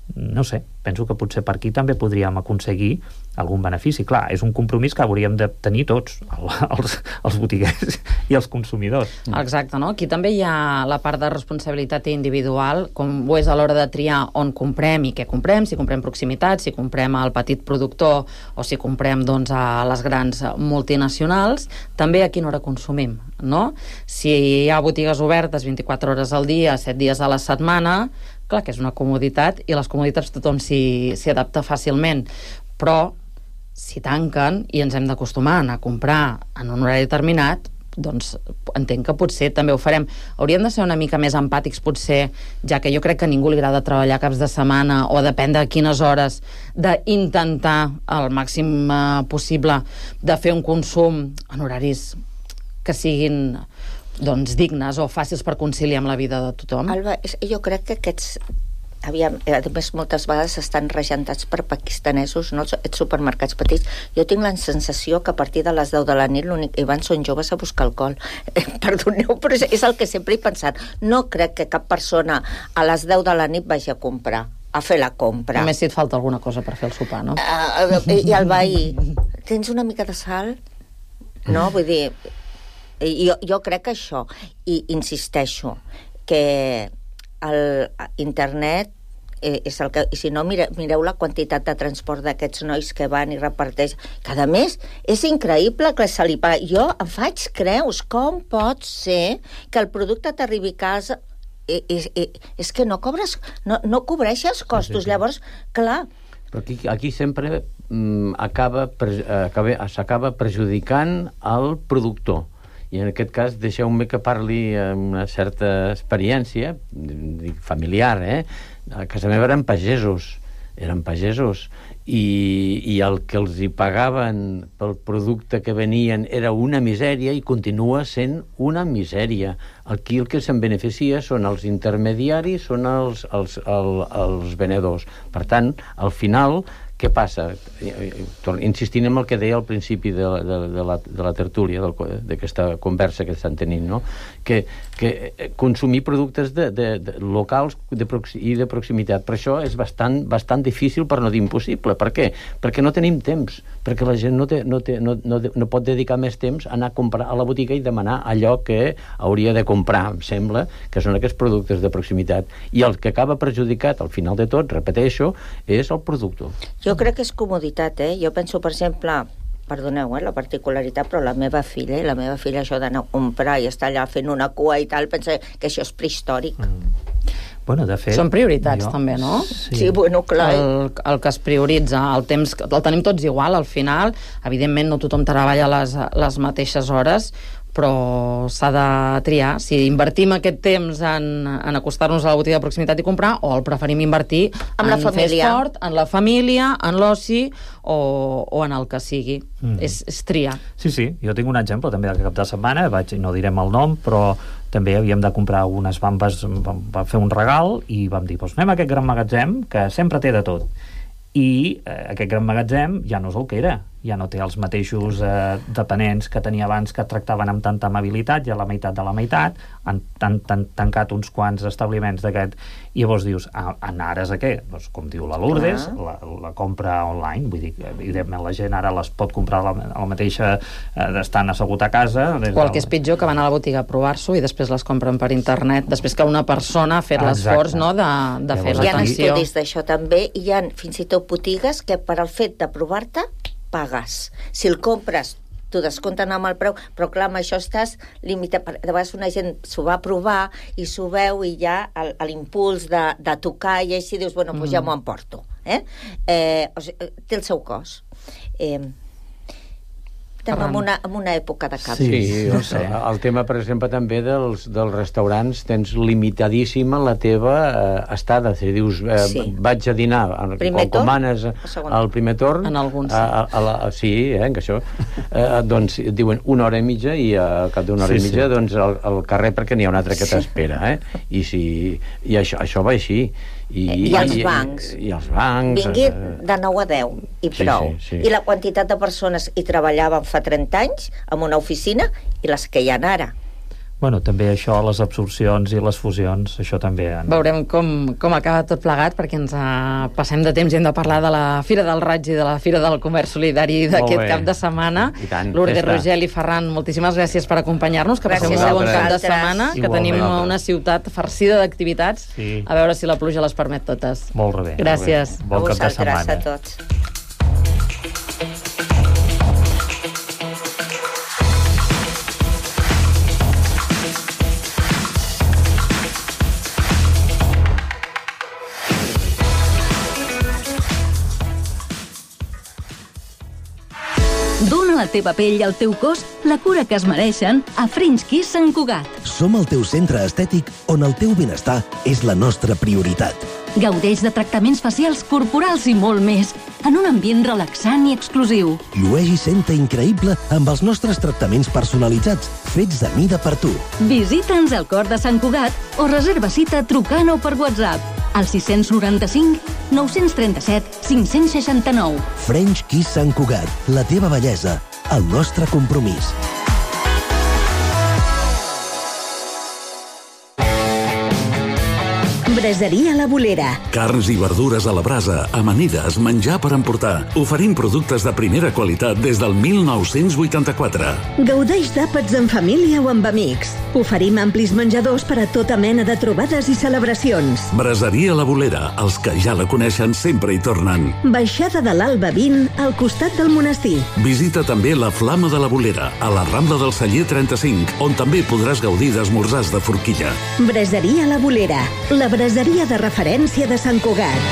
No sé, penso que potser per aquí també podríem aconseguir algun benefici. Clar, és un compromís que hauríem de tenir tots, els, els botiguers i els consumidors. Exacte, no? Aquí també hi ha la part de responsabilitat individual, com ho és a l'hora de triar on comprem i què comprem, si comprem proximitat, si comprem al petit productor o si comprem doncs, a les grans multinacionals, també a quina hora consumim, no? Si hi ha botigues obertes vint-i-quatre hores al dia, set dies a la setmana, clar que és una comoditat i les comoditats tothom s'hi, s'hi adapta fàcilment, però si tanquen i ens hem d'acostumar a anar a comprar en un horari determinat, doncs entenc que potser també ho farem. Hauríem de ser una mica més empàtics potser, ja que jo crec que a ningú li agrada treballar caps de setmana o depèn de quines hores, d'intentar al màxim eh, possible de fer un consum en horaris que siguin doncs dignes o fàcils per conciliar amb la vida de tothom. Alba, jo crec que aquests aviam, a més moltes vegades estan regentats per pakistanesos, no? Els supermercats petits. Jo tinc la sensació que a partir de les deu de la nit l'únic que hi van són joves a buscar alcohol. Eh, perdoneu, però és el que sempre he pensat. No crec que cap persona a les deu de la nit vagi a comprar, a fer la compra. Només si et falta alguna cosa per fer el sopar, no? Uh, I el veí, tens una mica de sal? No, vull dir... Jo, jo crec que això, i insisteixo, que el internet eh, és el que... I si no, mire, mireu la quantitat de transport d'aquests nois que van i reparteix. Cada mes és increïble que se li paga. Jo em faig creus, com pot ser que el producte t'arribi a casa... És, és, és que no cobres, no, no cobreixes costos. Sí, sí, sí. Llavors, clar... Però aquí, aquí sempre mm, acaba, pre, acaba, s'acaba perjudicant el productor. I en aquest cas deixeu-me que parli amb una certa experiència familiar, eh? A casa meva eren pagesos, eren pagesos, i, i el que els hi pagaven pel producte que venien era una misèria i continua sent una misèria. Aquí el que se'n beneficia són els intermediaris, són els, els, els, els venedors. Per tant, al final... Què passa? Insistint en el que deia al principi de, de, de, la, de la tertúlia, d'aquesta conversa que estan tenint, no? que, que consumir productes de, de, de locals de proxi, i de proximitat, per això és bastant, bastant difícil, per no dir impossible. Per què? Perquè no tenim temps, perquè la gent no, té, no, té, no, no, no pot dedicar més temps a anar a comprar a la botiga i demanar allò que hauria de comprar, em sembla, que són aquests productes de proximitat. I el que acaba perjudicat, al final de tot, repeteixo, és el productor. Jo crec que és comoditat, eh? Jo penso, per exemple, perdoneu, eh, la particularitat, però la meva filla, la meva filla això d'anar a comprar i estar allà fent una cua i tal, pensa que això és prehistòric. Mm. Bueno, de fet... Són prioritats, jo... també, no? Sí, sí, bueno, clar. El, el que es prioritza, el temps, el tenim tots igual, al final. Evidentment, no tothom treballa les, les mateixes hores, però s'ha de triar si invertim aquest temps en, en acostar-nos a la botiga de proximitat i comprar, o el preferim invertir en, en fer esport, en la família, en l'oci o, o en el que sigui. Mm. És, és triar. Sí, sí, jo tinc un exemple també de cap de setmana, vaig, no direm el nom, però també havíem de comprar unes bambes, vam, vam fer un regal i vam dir, doncs anem a aquest gran magatzem que sempre té de tot. I eh, aquest gran magatzem ja no és el que era. ja no té els mateixos eh, dependents que tenia abans, que tractaven amb tanta amabilitat, ja la meitat de la meitat, han, han, han tancat uns quants establiments d'aquest, i llavors dius, ah, en ares a què? Doncs, com diu la Lourdes, la, la compra online, vull dir, evidentment la gent ara les pot comprar a la, a la mateixa, eh, estant assegut a casa. O el que és pitjor, que van a la botiga a provar-s'ho i després les compren per internet, després que una persona ha fet l'esforç, no?, de, de fer l'atenció. Hi ha l'atenció. estudis d'això també, i hi ha fins i tot botigues que per al fet de provar-te pagues. Si el compres, t'ho descompten amb el preu, però clar, amb això estàs limitat. De vegades una gent s'ho va provar i s'ho veu i ja l'impuls de, de tocar i així dius, bueno, doncs ja m'ho emporto. Eh? Eh, o sigui, té el seu cost. Eh, estem en una, en una època de canvi. Sí, no sé. El tema, per exemple, també dels, dels restaurants, tens limitadíssima la teva eh, estada. Si dius, eh, sí. vaig a dinar, primer quan comanes al primer torn... En alguns, sí. A, a la, sí, eh, que això. Eh, doncs diuen una hora i mitja i al cap d'una hora sí, i mitja sí. doncs al, al carrer perquè n'hi ha un altre que t'espera. Eh? I, si, i això, això va així. I, I els bancs. I, i els bancs. Vingui de nou a deu i prou. Sí, sí, sí. I la quantitat de persones hi treballaven fa trenta anys en una oficina i les que hi ha ara. Bueno, també això, les absorcions i les fusions, això també... En... Veurem com, com acaba tot plegat, perquè ens uh, passem de temps i hem de parlar de la Fira del Raig i de la Fira del Comerç Solidari d'aquest cap de setmana. Lourdes, Rogel i Ferran, moltíssimes gràcies per acompanyar-nos, que passeu un segon cap de setmana, que tenim una ciutat farcida d'activitats, sí. A veure si la pluja les permet totes. Molt bé. Gràcies. Bon cap de setmana. A tots. Dóna a la teva pell i al teu cos la cura que es mereixen a French Kiss Sant Cugat. Som el teu centre estètic on el teu benestar és la nostra prioritat. Gaudeix de tractaments facials, corporals i molt més, en un ambient relaxant i exclusiu. Llueix i senta increïble amb els nostres tractaments personalitzats, fets de mida per tu. Visita'ns al cor de Sant Cugat o reserva cita trucant o per WhatsApp al sis noranta-cinc nou trenta-set cinc seixanta-nou. French Kiss Sant Cugat, la teva bellesa, el nostre compromís. Braseria La Bolera. Carns i verdures a la brasa, amanides, menjar per emportar. Oferim productes de primera qualitat des del mil nou-cents vuitanta-quatre. Gaudeix d'àpats en família o amb amics. Oferim amplis menjadors per a tota mena de trobades i celebracions. Braseria La Bolera, els que ja la coneixen sempre hi tornen. Baixada de l'Alba vint, al costat del monestir. Visita també la Flama de la Bolera, a la Rambla del Celler trenta-cinc, on també podràs gaudir d'esmorzars de forquilla. Braseria La Bolera, la braseria de referència de Sant Cugat.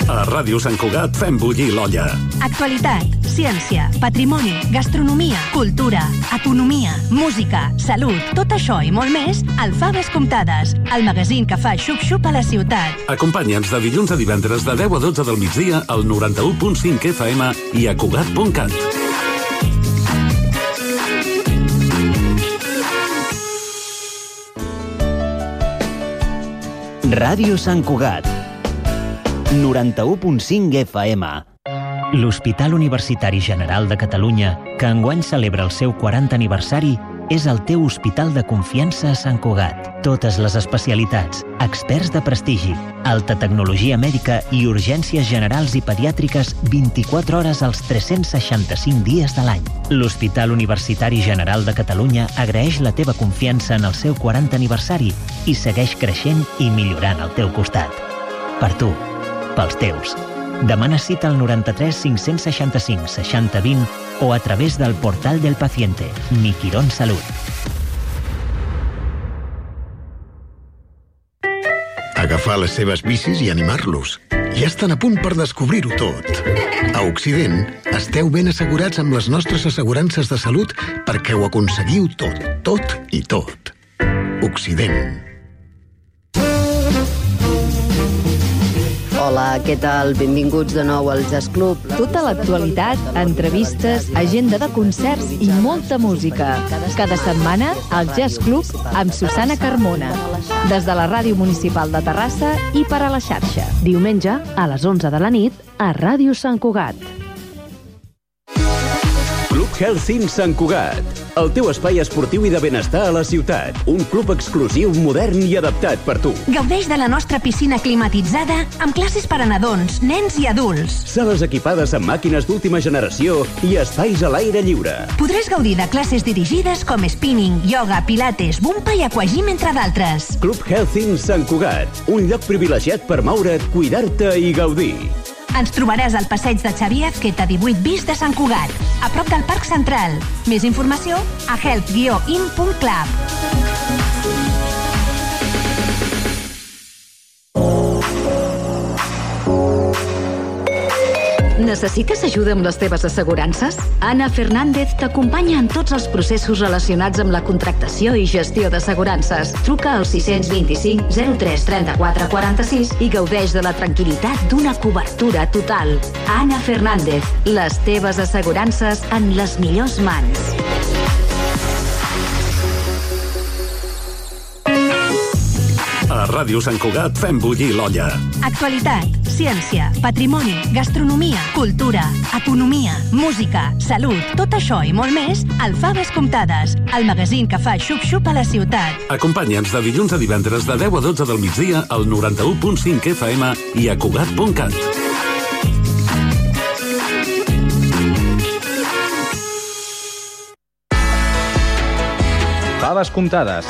A Ràdio Sant Cugat fem bullir l'olla. Actualitat, ciència, patrimoni, gastronomia, cultura, economia, música, salut, tot això i molt més al Faves Comptades, el magazín que fa xup-xup a la ciutat. Acompanya'ns de dilluns a divendres de deu a dotze del migdia al noranta-u punt cinc F M i a Cugat punt cat. Ràdio Sant Cugat, noranta-u punt cinc F M. L'Hospital Universitari General de Catalunya, que enguany celebra el seu quaranta aniversari, és el teu hospital de confiança a Sant Cugat. Totes les especialitats, experts de prestigi, alta tecnologia mèdica i urgències generals i pediàtriques vint-i-quatre hores als tres-cents seixanta-cinc dies de l'any. L'Hospital Universitari General de Catalunya agraeix la teva confiança en el seu quaranta aniversari i segueix creixent i millorant al teu costat. Per tu, pels teus. Demana cita al noranta-tres cinc-cents seixanta-cinc seixanta vint o a través del portal del paciente, Mi Quirón Salut. Agafar les seves bicis i animar-los. Ja estan a punt per descobrir-ho tot. A Occident, esteu ben assegurats amb les nostres assegurances de salut perquè ho aconseguiu tot, tot i tot. Occident. Hola, què tal? Benvinguts de nou al Jazz Club. Tota l'actualitat, entrevistes, agenda de concerts i molta música. Cada setmana, al Jazz Club amb Susana Carmona. Des de la Ràdio Municipal de Terrassa i per a la xarxa. Diumenge, a les onze de la nit, a Ràdio Sant Cugat. Club Health Sant Cugat, el teu espai esportiu i de benestar a la ciutat. Un club exclusiu, modern i adaptat per tu. Gaudeix de la nostra piscina climatitzada amb classes per a nadons, nens i adults. Sales equipades amb màquines d'última generació i espais a l'aire lliure. Podràs gaudir de classes dirigides com spinning, yoga, pilates, bumpa i aquagym, entre d'altres. Club Health Sant Cugat, un lloc privilegiat per moure't, cuidar-te i gaudir. Ens trobaràs al passeig de Xavier Azqueta divuit bis de Sant Cugat, a prop del Parc Central. Més informació a health guió in punt club. Necessites ajuda amb les teves assegurances? Anna Fernández t'acompanya en tots els processos relacionats amb la contractació i gestió d'assegurances. Truca al sis dos cinc zero tres trenta-quatre quaranta-sis i gaudeix de la tranquil·litat d'una cobertura total. Anna Fernández, les teves assegurances en les millors mans. A Ràdio Sant Cugat fem bullir l'olla. Actualitat, ciència, patrimoni, gastronomia, cultura, economia, música, salut, tot això i molt més al Faves Comptades, el magazín que fa xup-xup a la ciutat. Acompanya'ns de dilluns a divendres de deu a dotze del migdia al noranta-u punt cinc F M i a Cugat punt cat. Faves Comptades.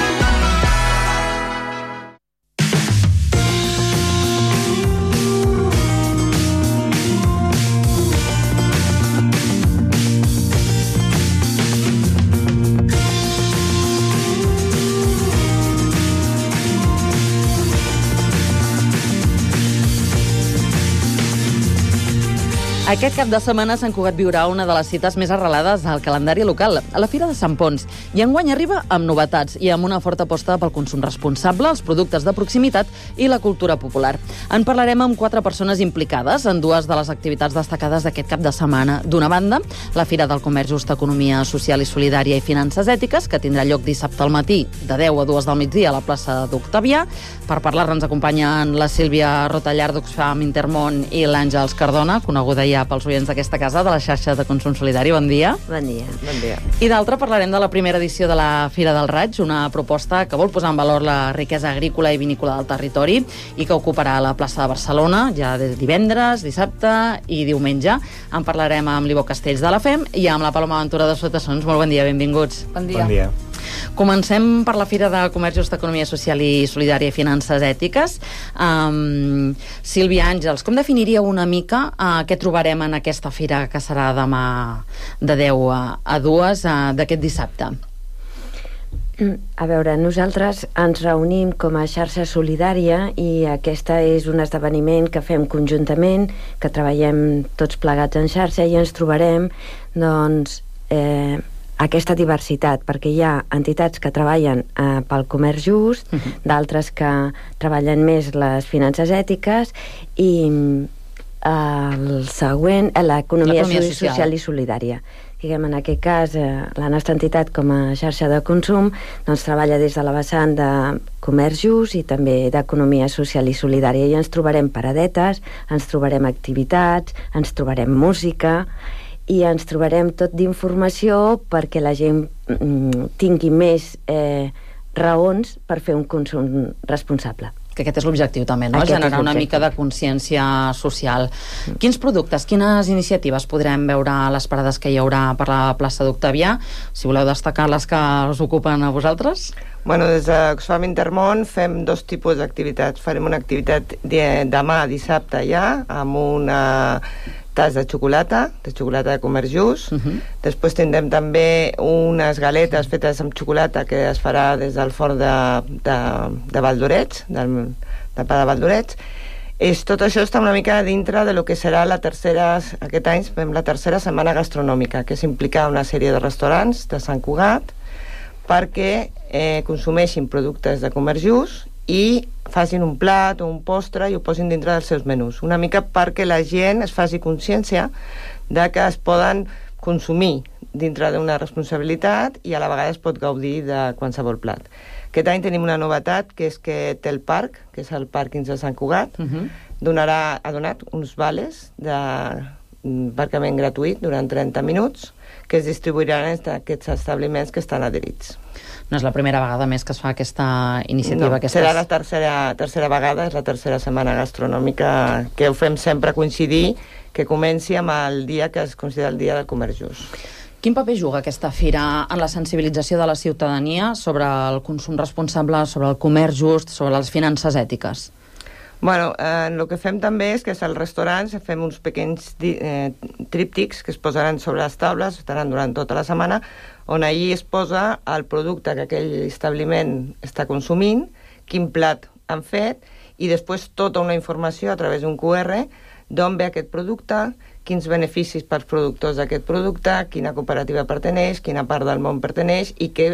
Aquest cap de setmana Sant Cugat viurà una de les cites més arrelades al calendari local, a la Fira de Sant Ponç. I enguany arriba amb novetats i amb una forta aposta pel consum responsable, els productes de proximitat i la cultura popular. En parlarem amb quatre persones implicades en dues de les activitats destacades d'aquest cap de setmana. D'una banda, la Fira del Comerç Just, Economia Social i Solidària i Finances Ètiques, que tindrà lloc dissabte al matí de deu a dues del migdia a la plaça d'Octavià. Per parlar-ne ens acompanyen la Sílvia Rotallar d'Oxfam Intermón i l'Àngels Cardona, coneguda ja pels oients d'aquesta casa, de la xarxa de consum solidari. Bon dia. Bon dia. Bon dia. I d'altra parlarem de la primera edició de la Fira del Raig, una proposta que vol posar en valor la riquesa agrícola i vinícola del territori i que ocuparà la plaça de Barcelona ja de divendres, dissabte i diumenge. En parlarem amb l'Ivo Castells de la F E M i amb la Paloma Ventura de Sotassons. Molt bon dia, benvinguts. Bon dia. Bon dia. Comencem per la Fira de Comerç Just, Economia Social i Solidària i Finances Ètiques. Um, Sílvia, Àngels, com definiria una mica uh, què trobarem en aquesta fira que serà demà de deu a dues uh, d'aquest dissabte? A veure, nosaltres ens reunim com a xarxa solidària i aquesta és un esdeveniment que fem conjuntament, que treballem tots plegats en xarxa i ens trobarem, doncs, eh, aquesta diversitat, perquè hi ha entitats que treballen eh, pel comerç just, uh-huh. d'altres que treballen més les finances ètiques i eh, el següent, eh, l'economia social. social i solidària. Diguem, en aquest cas, eh, la nostra entitat com a xarxa de consum doncs, treballa des de la vessant de comerç just i també d'economia social i solidària. I ens trobarem paradetes, ens trobarem activitats, ens trobarem música i ens trobarem tot d'informació perquè la gent mm, tingui més eh, raons per fer un consum responsable. Que aquest és l'objectiu també, no? Aquest Generar una mica de consciència social. Mm. Quins productes, quines iniciatives podrem veure a les parades que hi haurà per la plaça d'Octavià? Si voleu destacar les que us ocupen a vosaltres. Bueno, des d'Oxfam Intermón fem dos tipus d'activitats. Farem una activitat de, demà, dissabte ja, amb una tas de xocolata, de xocolata de comerç just. Uh-huh. Després tindrem també unes galetes fetes amb xocolata que es farà des del forn de, de, de Valdorets, del, del pa de Valdorets. És, tot això està una mica dintre de lo que serà la tercera, aquest any fem la tercera setmana gastronòmica, que és implicar una sèrie de restaurants de Sant Cugat perquè eh, consumeixin productes de comerç just i facin un plat o un postre i ho posin dintre dels seus menús. Una mica perquè la gent es faci consciència de que es poden consumir dintre d'una responsabilitat i a la vegada es pot gaudir de qualsevol plat. Aquest any tenim una novetat, que és que té el parc, que és el pàrquing de Sant Cugat, uh-huh. donarà, ha donat uns vales d'aparcament gratuït durant trenta minuts que es distribuiran en aquests establiments que estan adherits. No és la primera vegada més que es fa aquesta iniciativa. No, aquestes... serà la tercera, tercera vegada, és la tercera setmana gastronòmica que ho fem sempre coincidir, que comenci amb el dia que es considera el dia del comerç just. Quin paper juga aquesta fira en la sensibilització de la ciutadania sobre el consum responsable, sobre el comerç just, sobre les finances ètiques? Bueno, eh, el que fem també és que als restaurants fem uns pequeños eh, tríptics que es posaran sobre les taules, estaran durant tota la setmana, on allí es posa el producte que aquell establiment està consumint, quin plat han fet, i després tota una informació a través d'un Q R d'on ve aquest producte, quins beneficis pels productors d'aquest producte, quina cooperativa perteneix, quina part del món perteneix i què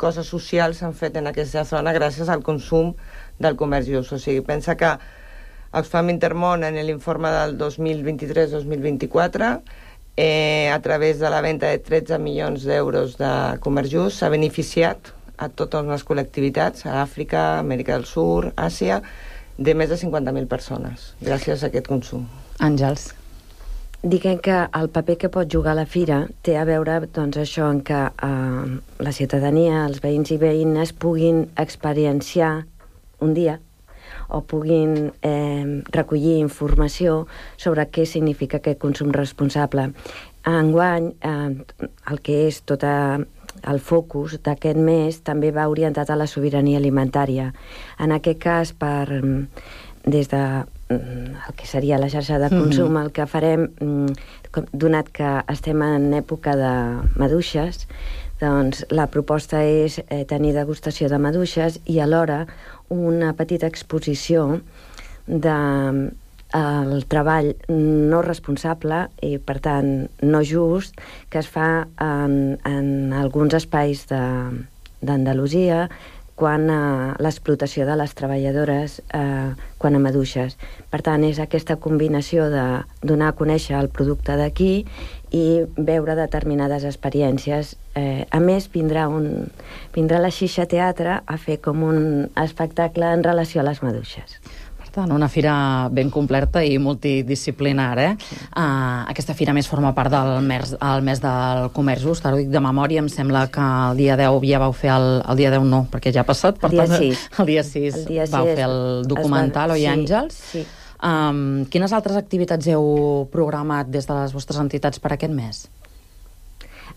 coses socials s'han fet en aquesta zona gràcies al consum del comerç just. O sigui, pensa que Oxfam Intermón en l'informe del dos mil vint-i-tres dos mil vint-i-quatre eh, a través de la venda de tretze milions d'euros de comerç just s'ha beneficiat a totes les col·lectivitats, a Àfrica, Amèrica del Sud, Àsia, de més de cinquanta mil persones, gràcies a aquest consum. Àngels. Diguem que el paper que pot jugar la fira té a veure, doncs, això en què eh, la ciutadania, els veïns i veïnes puguin experienciar un dia o puguin eh, recollir informació sobre què significa aquest consum responsable. Enguany, eh, el que és tot el focus d'aquest mes també va orientat a la sobirania alimentària. En aquest cas, per, des de el que seria la xarxa de consum, mm-hmm. el que farem, donat que estem en època de maduixes, doncs la proposta és eh, tenir degustació de maduixes i alhora una petita exposició del de, treball no responsable i, per tant, no just, que es fa en, en alguns espais d'Andalusia quan a l'explotació de les treballadores eh, quan a maduixes. Per tant, és aquesta combinació de donar a conèixer el producte d'aquí i veure determinades experiències. Eh, a més, vindrà, un, vindrà la Xixa Teatre a fer com un espectacle en relació a les maduixes. Per tant, una fira ben completa i multidisciplinar, eh? Uh, aquesta fira més forma part del mes, el mes del comerç just. Ara ho dic de memòria, em sembla que el dia deu ja vau fer el... El dia deu no, perquè ja ha passat. Per el dia tant, sis. El dia sis, el dia vau sis fer el documental, oi, sí, Àngels? Sí. Um, quines altres activitats heu programat des de les vostres entitats per aquest mes?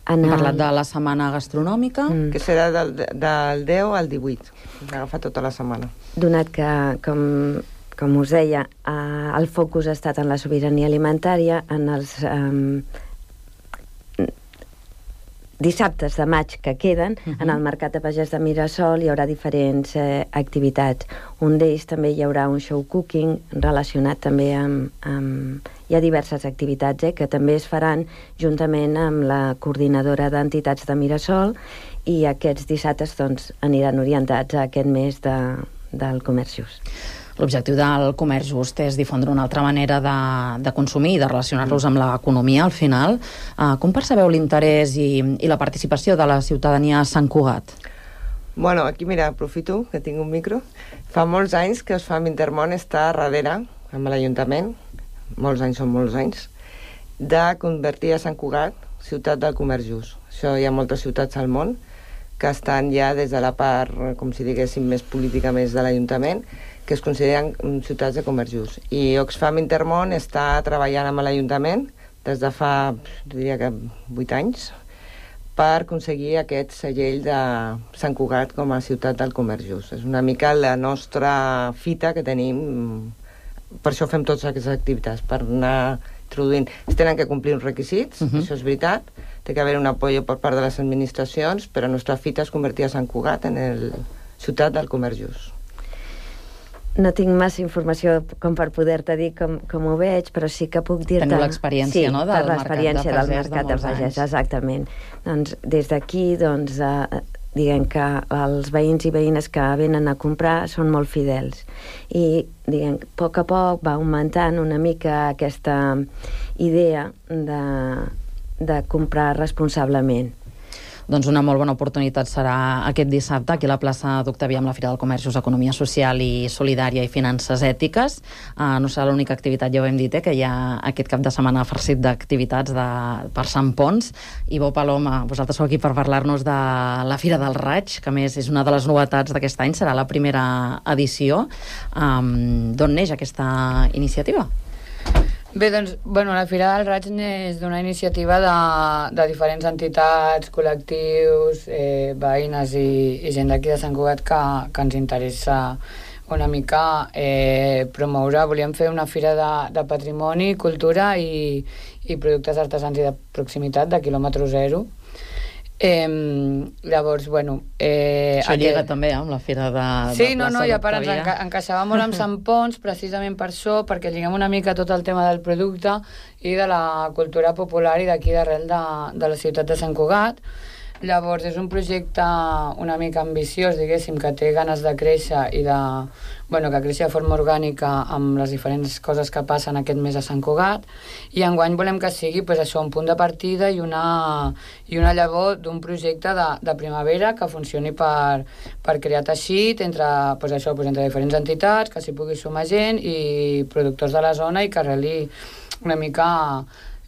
En Hem el... parlat de la setmana gastronòmica. Mm. Que serà del, del deu al divuit. S'ha agafat tota la setmana. Donat que, com, com us deia, eh, el focus ha estat en la sobirania alimentària, en els eh, dissabtes de maig que queden, uh-huh. en el Mercat de Pagès de Mirasol hi haurà diferents eh, activitats. Un d'ells també hi haurà un show cooking relacionat també amb... amb hi ha diverses activitats eh, que també es faran juntament amb la coordinadora d'entitats de Mirasol i aquests dissabtes doncs, aniran orientats a aquest mes de, del comerç just. L'objectiu del comerç just és difondre una altra manera de, de consumir i de relacionar-los amb l'economia, al final. Uh, com percebeu l'interès i, i la participació de la ciutadania a Sant Cugat? Bueno, aquí, mira, aprofito que tinc un micro. Fa molts anys que Oxfam Intermón està darrere, amb l'Ajuntament, molts anys són molts anys, de convertir a Sant Cugat ciutat del comerç just. Això hi ha moltes ciutats al món que estan ja des de la part, com si diguéssim, més política més de l'Ajuntament, que es consideren ciutats de comerç just. I Oxfam Intermón està treballant amb l'Ajuntament des de fa, diria que vuit anys, per aconseguir aquest segell de Sant Cugat com a ciutat del comerç just. És una mica la nostra fita que tenim, per això fem totes aquestes activitats, per anar introduint. Es tenen que complir uns requisits, uh-huh. això és veritat, té que haver un apoyo per part de les administracions, però la nostra fita és convertir a Sant Cugat en el ciutat del comerç just. No tinc massa informació com per poder-te dir com, com ho veig, però sí que puc dir-te... Teniu l'experiència, sí, no?, del l'experiència Mercat de del Mercat de Pagès, exactament. Doncs des d'aquí, doncs, eh, diguem que els veïns i veïnes que venen a comprar són molt fidels. I, diguem, a poc a poc va augmentant una mica aquesta idea de, de comprar responsablement. Doncs una molt bona oportunitat serà aquest dissabte aquí a la plaça d'Octavià amb la Fira del Comerç, Economia Social i Solidària i Finances Ètiques. Uh, no serà l'única activitat, ja ho hem dit, eh, que hi ha aquest cap de setmana farcit d'activitats de, per Sant Pons. I Bo Paloma, vosaltres sou aquí per parlar-nos de la Fira del Raig, que a més és una de les novetats d'aquest any, serà la primera edició. Um, D'on neix aquesta iniciativa? Bé, doncs, bueno, la Fira del Raig és d'una iniciativa de, de diferents entitats, col·lectius, eh, veïnes i, i gent d'aquí de Sant Cugat que, que ens interessa una mica eh, promoure. Volíem fer una fira de, de patrimoni, cultura i, i productes artesans i de proximitat de quilòmetre zero. Eh, llavors, bueno... Eh, Això llega aquest... també amb la fira de, sí, de no, no, i a part ens enca encaixava molt amb Sant Pons, precisament per això, perquè lliguem una mica tot el tema del producte i de la cultura popular i d'aquí d'arrel de, de la ciutat de Sant Cugat. Llavors, és un projecte una mica ambiciós, diguéssim, que té ganes de créixer i de... Bueno, que creixi de forma orgànica amb les diferents coses que passen aquest mes a Sant Cugat, i enguany volem que sigui pues, això, un punt de partida i una, i una llavor d'un projecte de, de primavera que funcioni per, per crear teixit entre, pues, això, pues, entre diferents entitats, que s'hi pugui sumar gent i productors de la zona i que arreli una mica...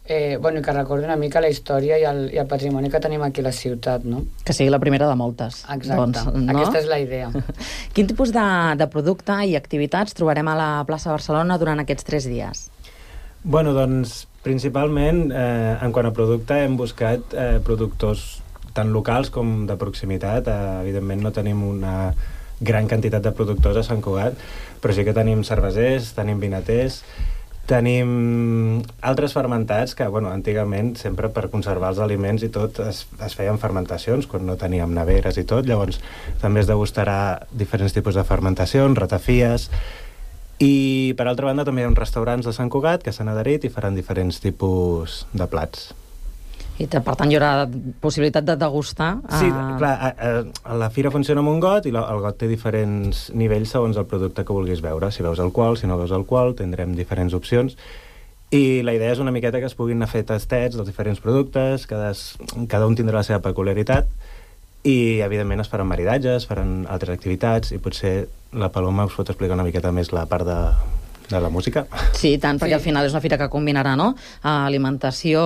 Eh, bueno, i que recordi una mica la història i el, i el patrimoni que tenim aquí a la ciutat, no? Que sigui la primera de moltes. Exacte, doncs, no? Aquesta és la idea. Quin tipus de, de producte i activitats trobarem a la plaça Barcelona durant aquests tres dies? Bueno, doncs, principalment, eh, en quant a producte, hem buscat eh, productors tant locals com de proximitat. Eh, evidentment no tenim una gran quantitat de productors a Sant Cugat, però sí que tenim cervesers, tenim vinaters, tenim altres fermentats que, bueno, antigament, sempre per conservar els aliments i tot, es, es feien fermentacions, quan no teníem neveres i tot, llavors també es degustarà diferents tipus de fermentacions, ratafies, i per altra banda també hi ha uns restaurants de Sant Cugat que s'han adherit i faran diferents tipus de plats. I per tant hi haurà possibilitat de degustar? Sí, clar, a, a, la fira funciona amb un got i la, el got té diferents nivells segons el producte que vulguis veure. Si veus alcohol, si no veus alcohol, tindrem diferents opcions. I la idea és una miqueta que es puguin anar a fer tastets dels diferents productes, cada, cada un tindrà la seva peculiaritat i, evidentment, es faran maridatges, faran altres activitats i potser la Paloma us pot explicar una miqueta més la part de... de la música. Sí, tant, perquè sí. Al final és una fira que combinarà, no?, alimentació,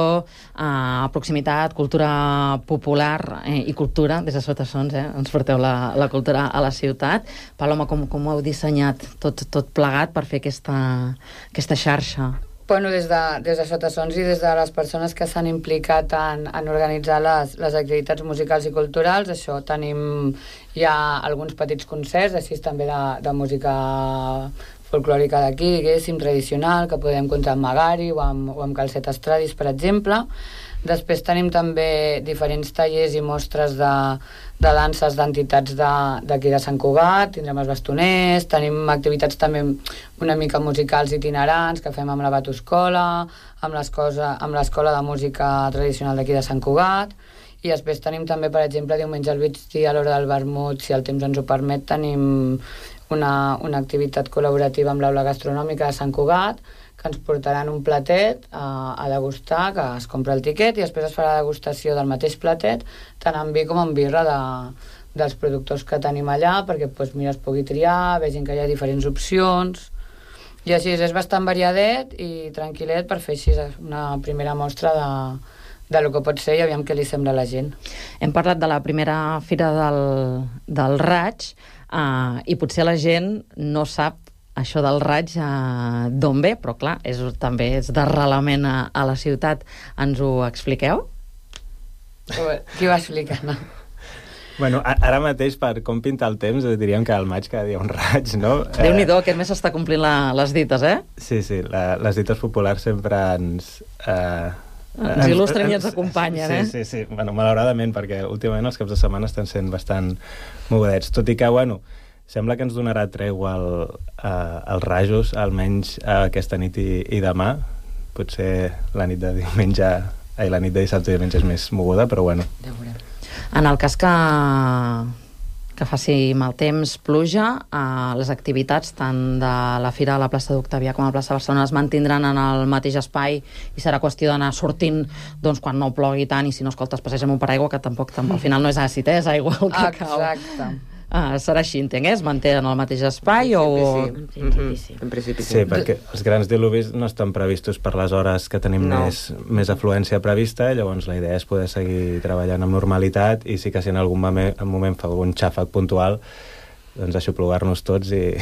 eh, proximitat, cultura popular eh, i cultura, des de Sotassons, eh? Ens porteu la, la cultura a la ciutat. Paloma, com, com ho heu dissenyat tot, tot plegat per fer aquesta, aquesta xarxa? Bueno, des de, des de Sotassons i des de les persones que s'han implicat en, en organitzar les, les activitats musicals i culturals, això, tenim ja alguns petits concerts, així també de, de música folclòrica d'aquí, diguéssim, tradicional, que podem comptar amb Magari o amb, o amb Calcet Estradis, per exemple. Després tenim també diferents tallers i mostres de, de danses d'entitats d'aquí de, de Sant Cugat, tindrem els bastoners, tenim activitats també una mica musicals itinerants que fem amb la Batoscola, amb l'Escola de Música Tradicional d'aquí de Sant Cugat, i després tenim també, per exemple, diumenge al migdia a l'hora del vermut, si el temps ens ho permet, tenim una, una activitat col·laborativa amb l'Aula Gastronòmica de Sant Cugat, que ens portaran un platet a, a degustar, que es compra el tiquet i després es farà la degustació del mateix platet, tant en vi com en birra de, dels productors que tenim allà, perquè pues, mira, es pugui triar, vegin que hi ha diferents opcions, i així és bastant variadet i tranquil·let per fer així una primera mostra de, de lo que pot ser i aviam què li sembla a la gent. Hem parlat de la primera fira del, del Raig, Uh, i potser la gent no sap això del Raig uh, d'on ve, però clar, és, també és d'arrelament a, a la ciutat. Ens ho expliqueu? Qui va explicar, no? Bueno, ara mateix, per com pinta el temps, diríem que al maig cada dia un raig, no? Déu-n'hi-do, aquest mes s'està complint la, les dites, eh? Sí, sí, la, les dites populars sempre ens... Eh, ens il·lustren i ens acompanyen, sí, eh? Sí, sí, sí. Bueno, malauradament, perquè últimament els caps de setmana estan sent bastant mogudets. Tot i que, bueno, sembla que ens donarà tregua el, uh, els rajos, almenys uh, aquesta nit i, i demà. Potser la nit de diumenge... Ai, la nit de dissabte i diumenge és més moguda, però bueno. Ja veurem. En el cas que, que faci mal temps, pluja, eh, les activitats tant de la Fira de la plaça d'Octavià com a la plaça de Barcelona es mantindran en el mateix espai i serà qüestió d'anar sortint doncs, quan no plogui tant, i si no, escolta, es passeja amb un paraigua, que tampoc, tampoc al final no és àcid, eh? És aigua el que cau. Exacte. Ah, serà així, entenc, eh? Es manté en el mateix espai o... Sí, sí. En principi sí. Sí, perquè els grans diluvis no estan previstos per les hores que tenim No. més, més afluència prevista, llavors la idea és poder seguir treballant amb normalitat, i sí que si en algun moment, en moment fa algun xàfec puntual, doncs aixoplugar-nos tots i...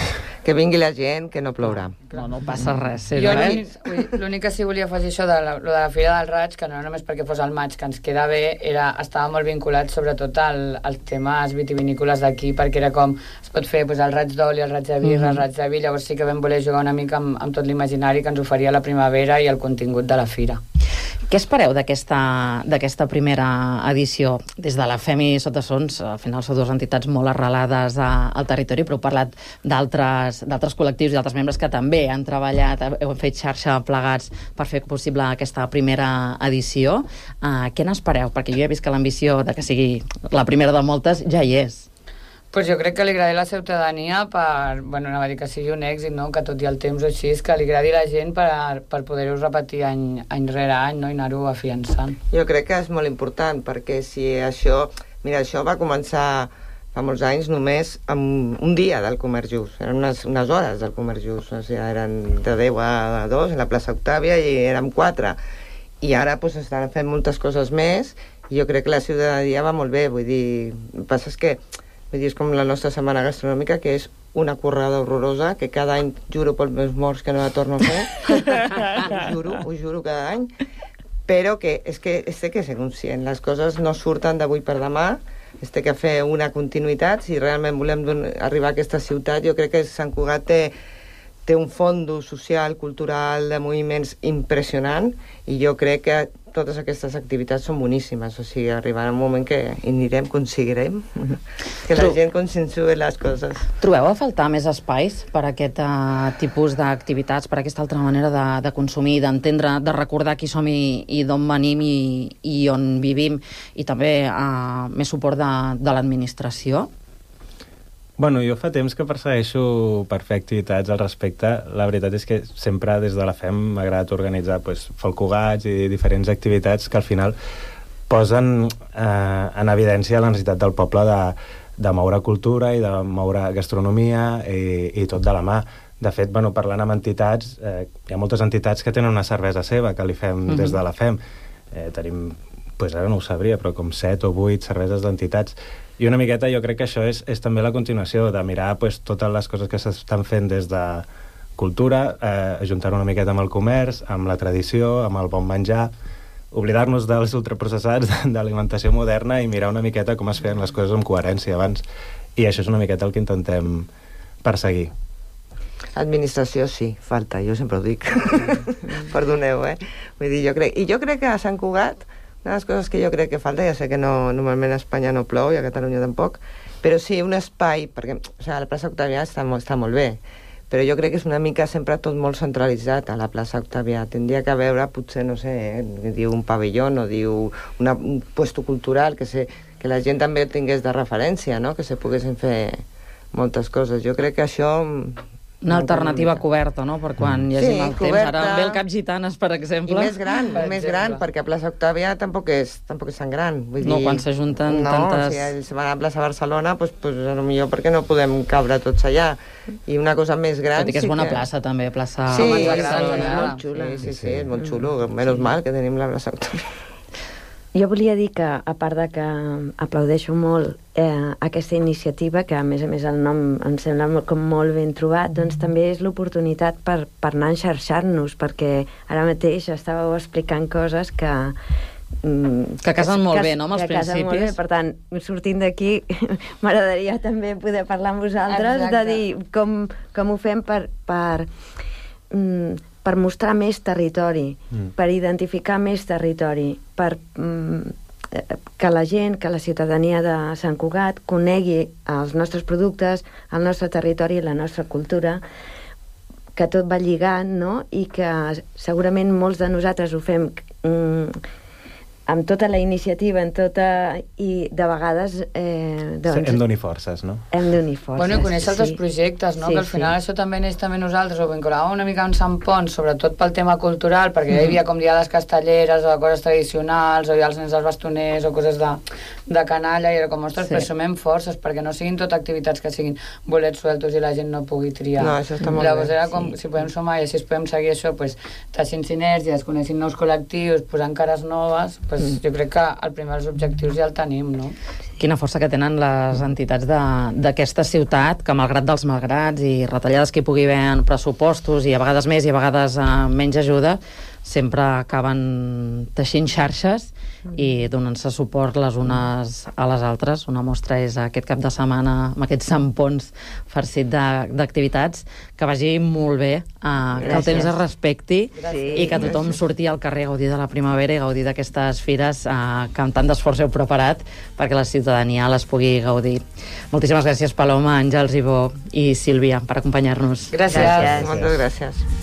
Que vingui la gent, que no plourà. No, no passa res. Sí, Jo res. l'únic l'únic que sí volia afegir això de la, lo de la Fira del Raig, que no era només perquè fos el maig, que ens queda bé, era, estava molt vinculat sobretot al, als temes vitivinícoles d'aquí, perquè era com, es pot fer pues, el raig d'oli, el raig de birra, Mhm. el raig de vi, llavors sí que vam voler jugar una mica amb, amb tot l'imaginari que ens oferia la primavera i el contingut de la fira. Què espereu d'aquesta d'aquesta primera edició? Des de la FEMI Sota Sons, al final són dues entitats molt arrelades a, al territori, però heu parlat d'altres d'altres col·lectius i d'altres membres que també han treballat, heu fet xarxa plegats per fer possible aquesta primera edició. Uh, què n'espereu? Perquè jo ja he vist que l'ambició de que sigui la primera de moltes ja hi és. Pues jo crec que li agradi a la ciutadania per, bueno, anava a dir que sigui un èxit, no? Que tot i el temps o així, que li agradi a la gent per, per poder-ho repetir any, any rere any, no? I anar-ho afiançant. Jo crec que és molt important, perquè si això... Mira, això va començar fa molts anys només amb un dia del Comerç Just, eren unes, unes hores del Comerç Just, o sigui, eren de deu a dos en la plaça Octàvia i érem quatre. I ara pues, estan fent moltes coses més i jo crec que la ciutadania va molt bé, vull dir, el que passa és que vull dir, és com la nostra setmana gastronòmica, que és una currada horrorosa, que cada any juro pels meus morts que no la torno a fer. ho juro, ho juro cada any. Però que és que es té que ser conscient. Les coses no surten d'avui per demà, es té que fer una continuïtat. Si realment volem arribar a aquesta ciutat, jo crec que Sant Cugat té, té un fons social, cultural, de moviments impressionant, i jo crec que totes aquestes activitats són boníssimes, o sigui, arribarà un moment que hi anirem, aconseguirem que la gent conscienciï les coses. Trobeu a faltar més espais per a aquest uh, tipus d'activitats, per a aquesta altra manera de, de consumir, d'entendre, de recordar qui som i, i d'on venim i, i on vivim, i també uh, més suport de, de l'administració? Bueno, jo fa temps que persegueixo per fer activitats al respecte. La veritat és que sempre des de la FEM m'ha agradat organitzar pues, folcugats i diferents activitats que al final posen eh, en evidència la necessitat del poble de, de moure cultura i de moure gastronomia i, i tot de la mà. De fet, bueno, parlant amb entitats, eh, hi ha moltes entitats que tenen una cervesa seva que li fem mm-hmm. des de la FEM. Eh, tenim, pues ara no ho sabria, però com set o vuit cerveses d'entitats. I una miqueta jo crec que això és, és també la continuació de mirar pues, totes les coses que s'estan fent des de cultura, eh, ajuntar una miqueta amb el comerç, amb la tradició, amb el bon menjar, oblidar-nos dels ultraprocessats d'alimentació moderna i mirar una miqueta com es feien les coses amb coherència abans. I això és una miqueta el que intentem perseguir. Administració sí, falta, jo sempre ho dic. Perdoneu, eh? Vull dir, jo crec... I jo crec que a Sant Cugat una de les coses que jo crec que falta, ja sé que no, normalment a Espanya no plou i a Catalunya tampoc, però sí un espai, perquè o sigui, la plaça Octavià està, està molt bé, però jo crec que és una mica sempre tot molt centralitzat a la plaça Octavià. Tindria que veure, potser, no sé, eh, diu un pavelló o diu una, un puesto cultural, que, se, que la gent també tingués de referència, no? Que se poguessin fer moltes coses. Jo crec que això... Una alternativa coberta, no?, per quan hi hagi sí, mal coberta. temps. Ara ve el Cap Gitanes, per exemple. I més gran, per més exemple. gran, perquè a plaça Octàvia tampoc és, tampoc és tan gran. Vull No, dir, quan s'ajunten no, tantes... No, si ells van a plaça Barcelona, doncs, doncs, potser perquè no podem cabre tots allà. I una cosa més gran... Tot i que és sí bona que... plaça, també, plaça sí, Barcelona. és molt xula. Sí, sí, sí, és molt xulo. Menys mal que tenim la plaça Octàvia. Jo volia dir que, a part de que aplaudeixo molt eh, aquesta iniciativa, que a més a més el nom em sembla molt, com molt ben trobat, doncs també és l'oportunitat per, per anar a enxarxar-nos, perquè ara mateix estàveu explicant coses que... Mm, que casen molt que, bé, no?, amb els que casen molt bé. principis. Per tant, sortint d'aquí, m'agradaria també poder parlar amb vosaltres, Exacte. de dir com, com ho fem per... per mm, per mostrar més territori, mm. per identificar més territori, per mm, que la gent, que la ciutadania de Sant Cugat conegui els nostres productes, el nostre territori i la nostra cultura, que tot va lligant, no?, i que segurament molts de nosaltres ho fem mm, amb tota la iniciativa, en tota... i de vegades... Eh, doncs, hem d'unir forces, no? Hem d'unir forces, Bueno, i conèixer altres sí. projectes, no? Sí, que al final sí. això també neix també nosaltres, ho vinculàvem una mica amb Sant Pons, sobretot pel tema cultural, perquè ja hi havia com diades castelleres o coses tradicionals, o hi ha els nens dels bastoners o coses de, de canalla, i era com, ostres, Sí. però sumem forces, perquè no siguin tot activitats que siguin bolets sueltos i la gent no pugui triar. No, això està molt Llavors bé. era com, si podem sumar i així es podem seguir això, pues, teixint sinergies, coneixent nous col·lectius, posant cares noves, pues, mm. jo crec que el primer dels objectius ja el tenim, no? Quina força que tenen les entitats d'aquesta ciutat, que malgrat dels malgrats i retallades que hi pugui haver en pressupostos i a vegades més i a vegades eh, menys ajuda, sempre acaben teixint xarxes i donant-se suport les unes a les altres. Una mostra és aquest cap de setmana amb aquest Sant Pons farcit d'activitats. Que vagi molt bé, eh, que el temps es respecti Gràcies. i que tothom surti al carrer a gaudir de la primavera i gaudir d'aquestes fires eh, que amb tant d'esforç heu preparat perquè la ciutadania les pugui gaudir. Moltíssimes gràcies, Paloma, Àngels, Ivó i Sílvia, per acompanyar-nos. Gràcies. Gràcies. Moltes gràcies.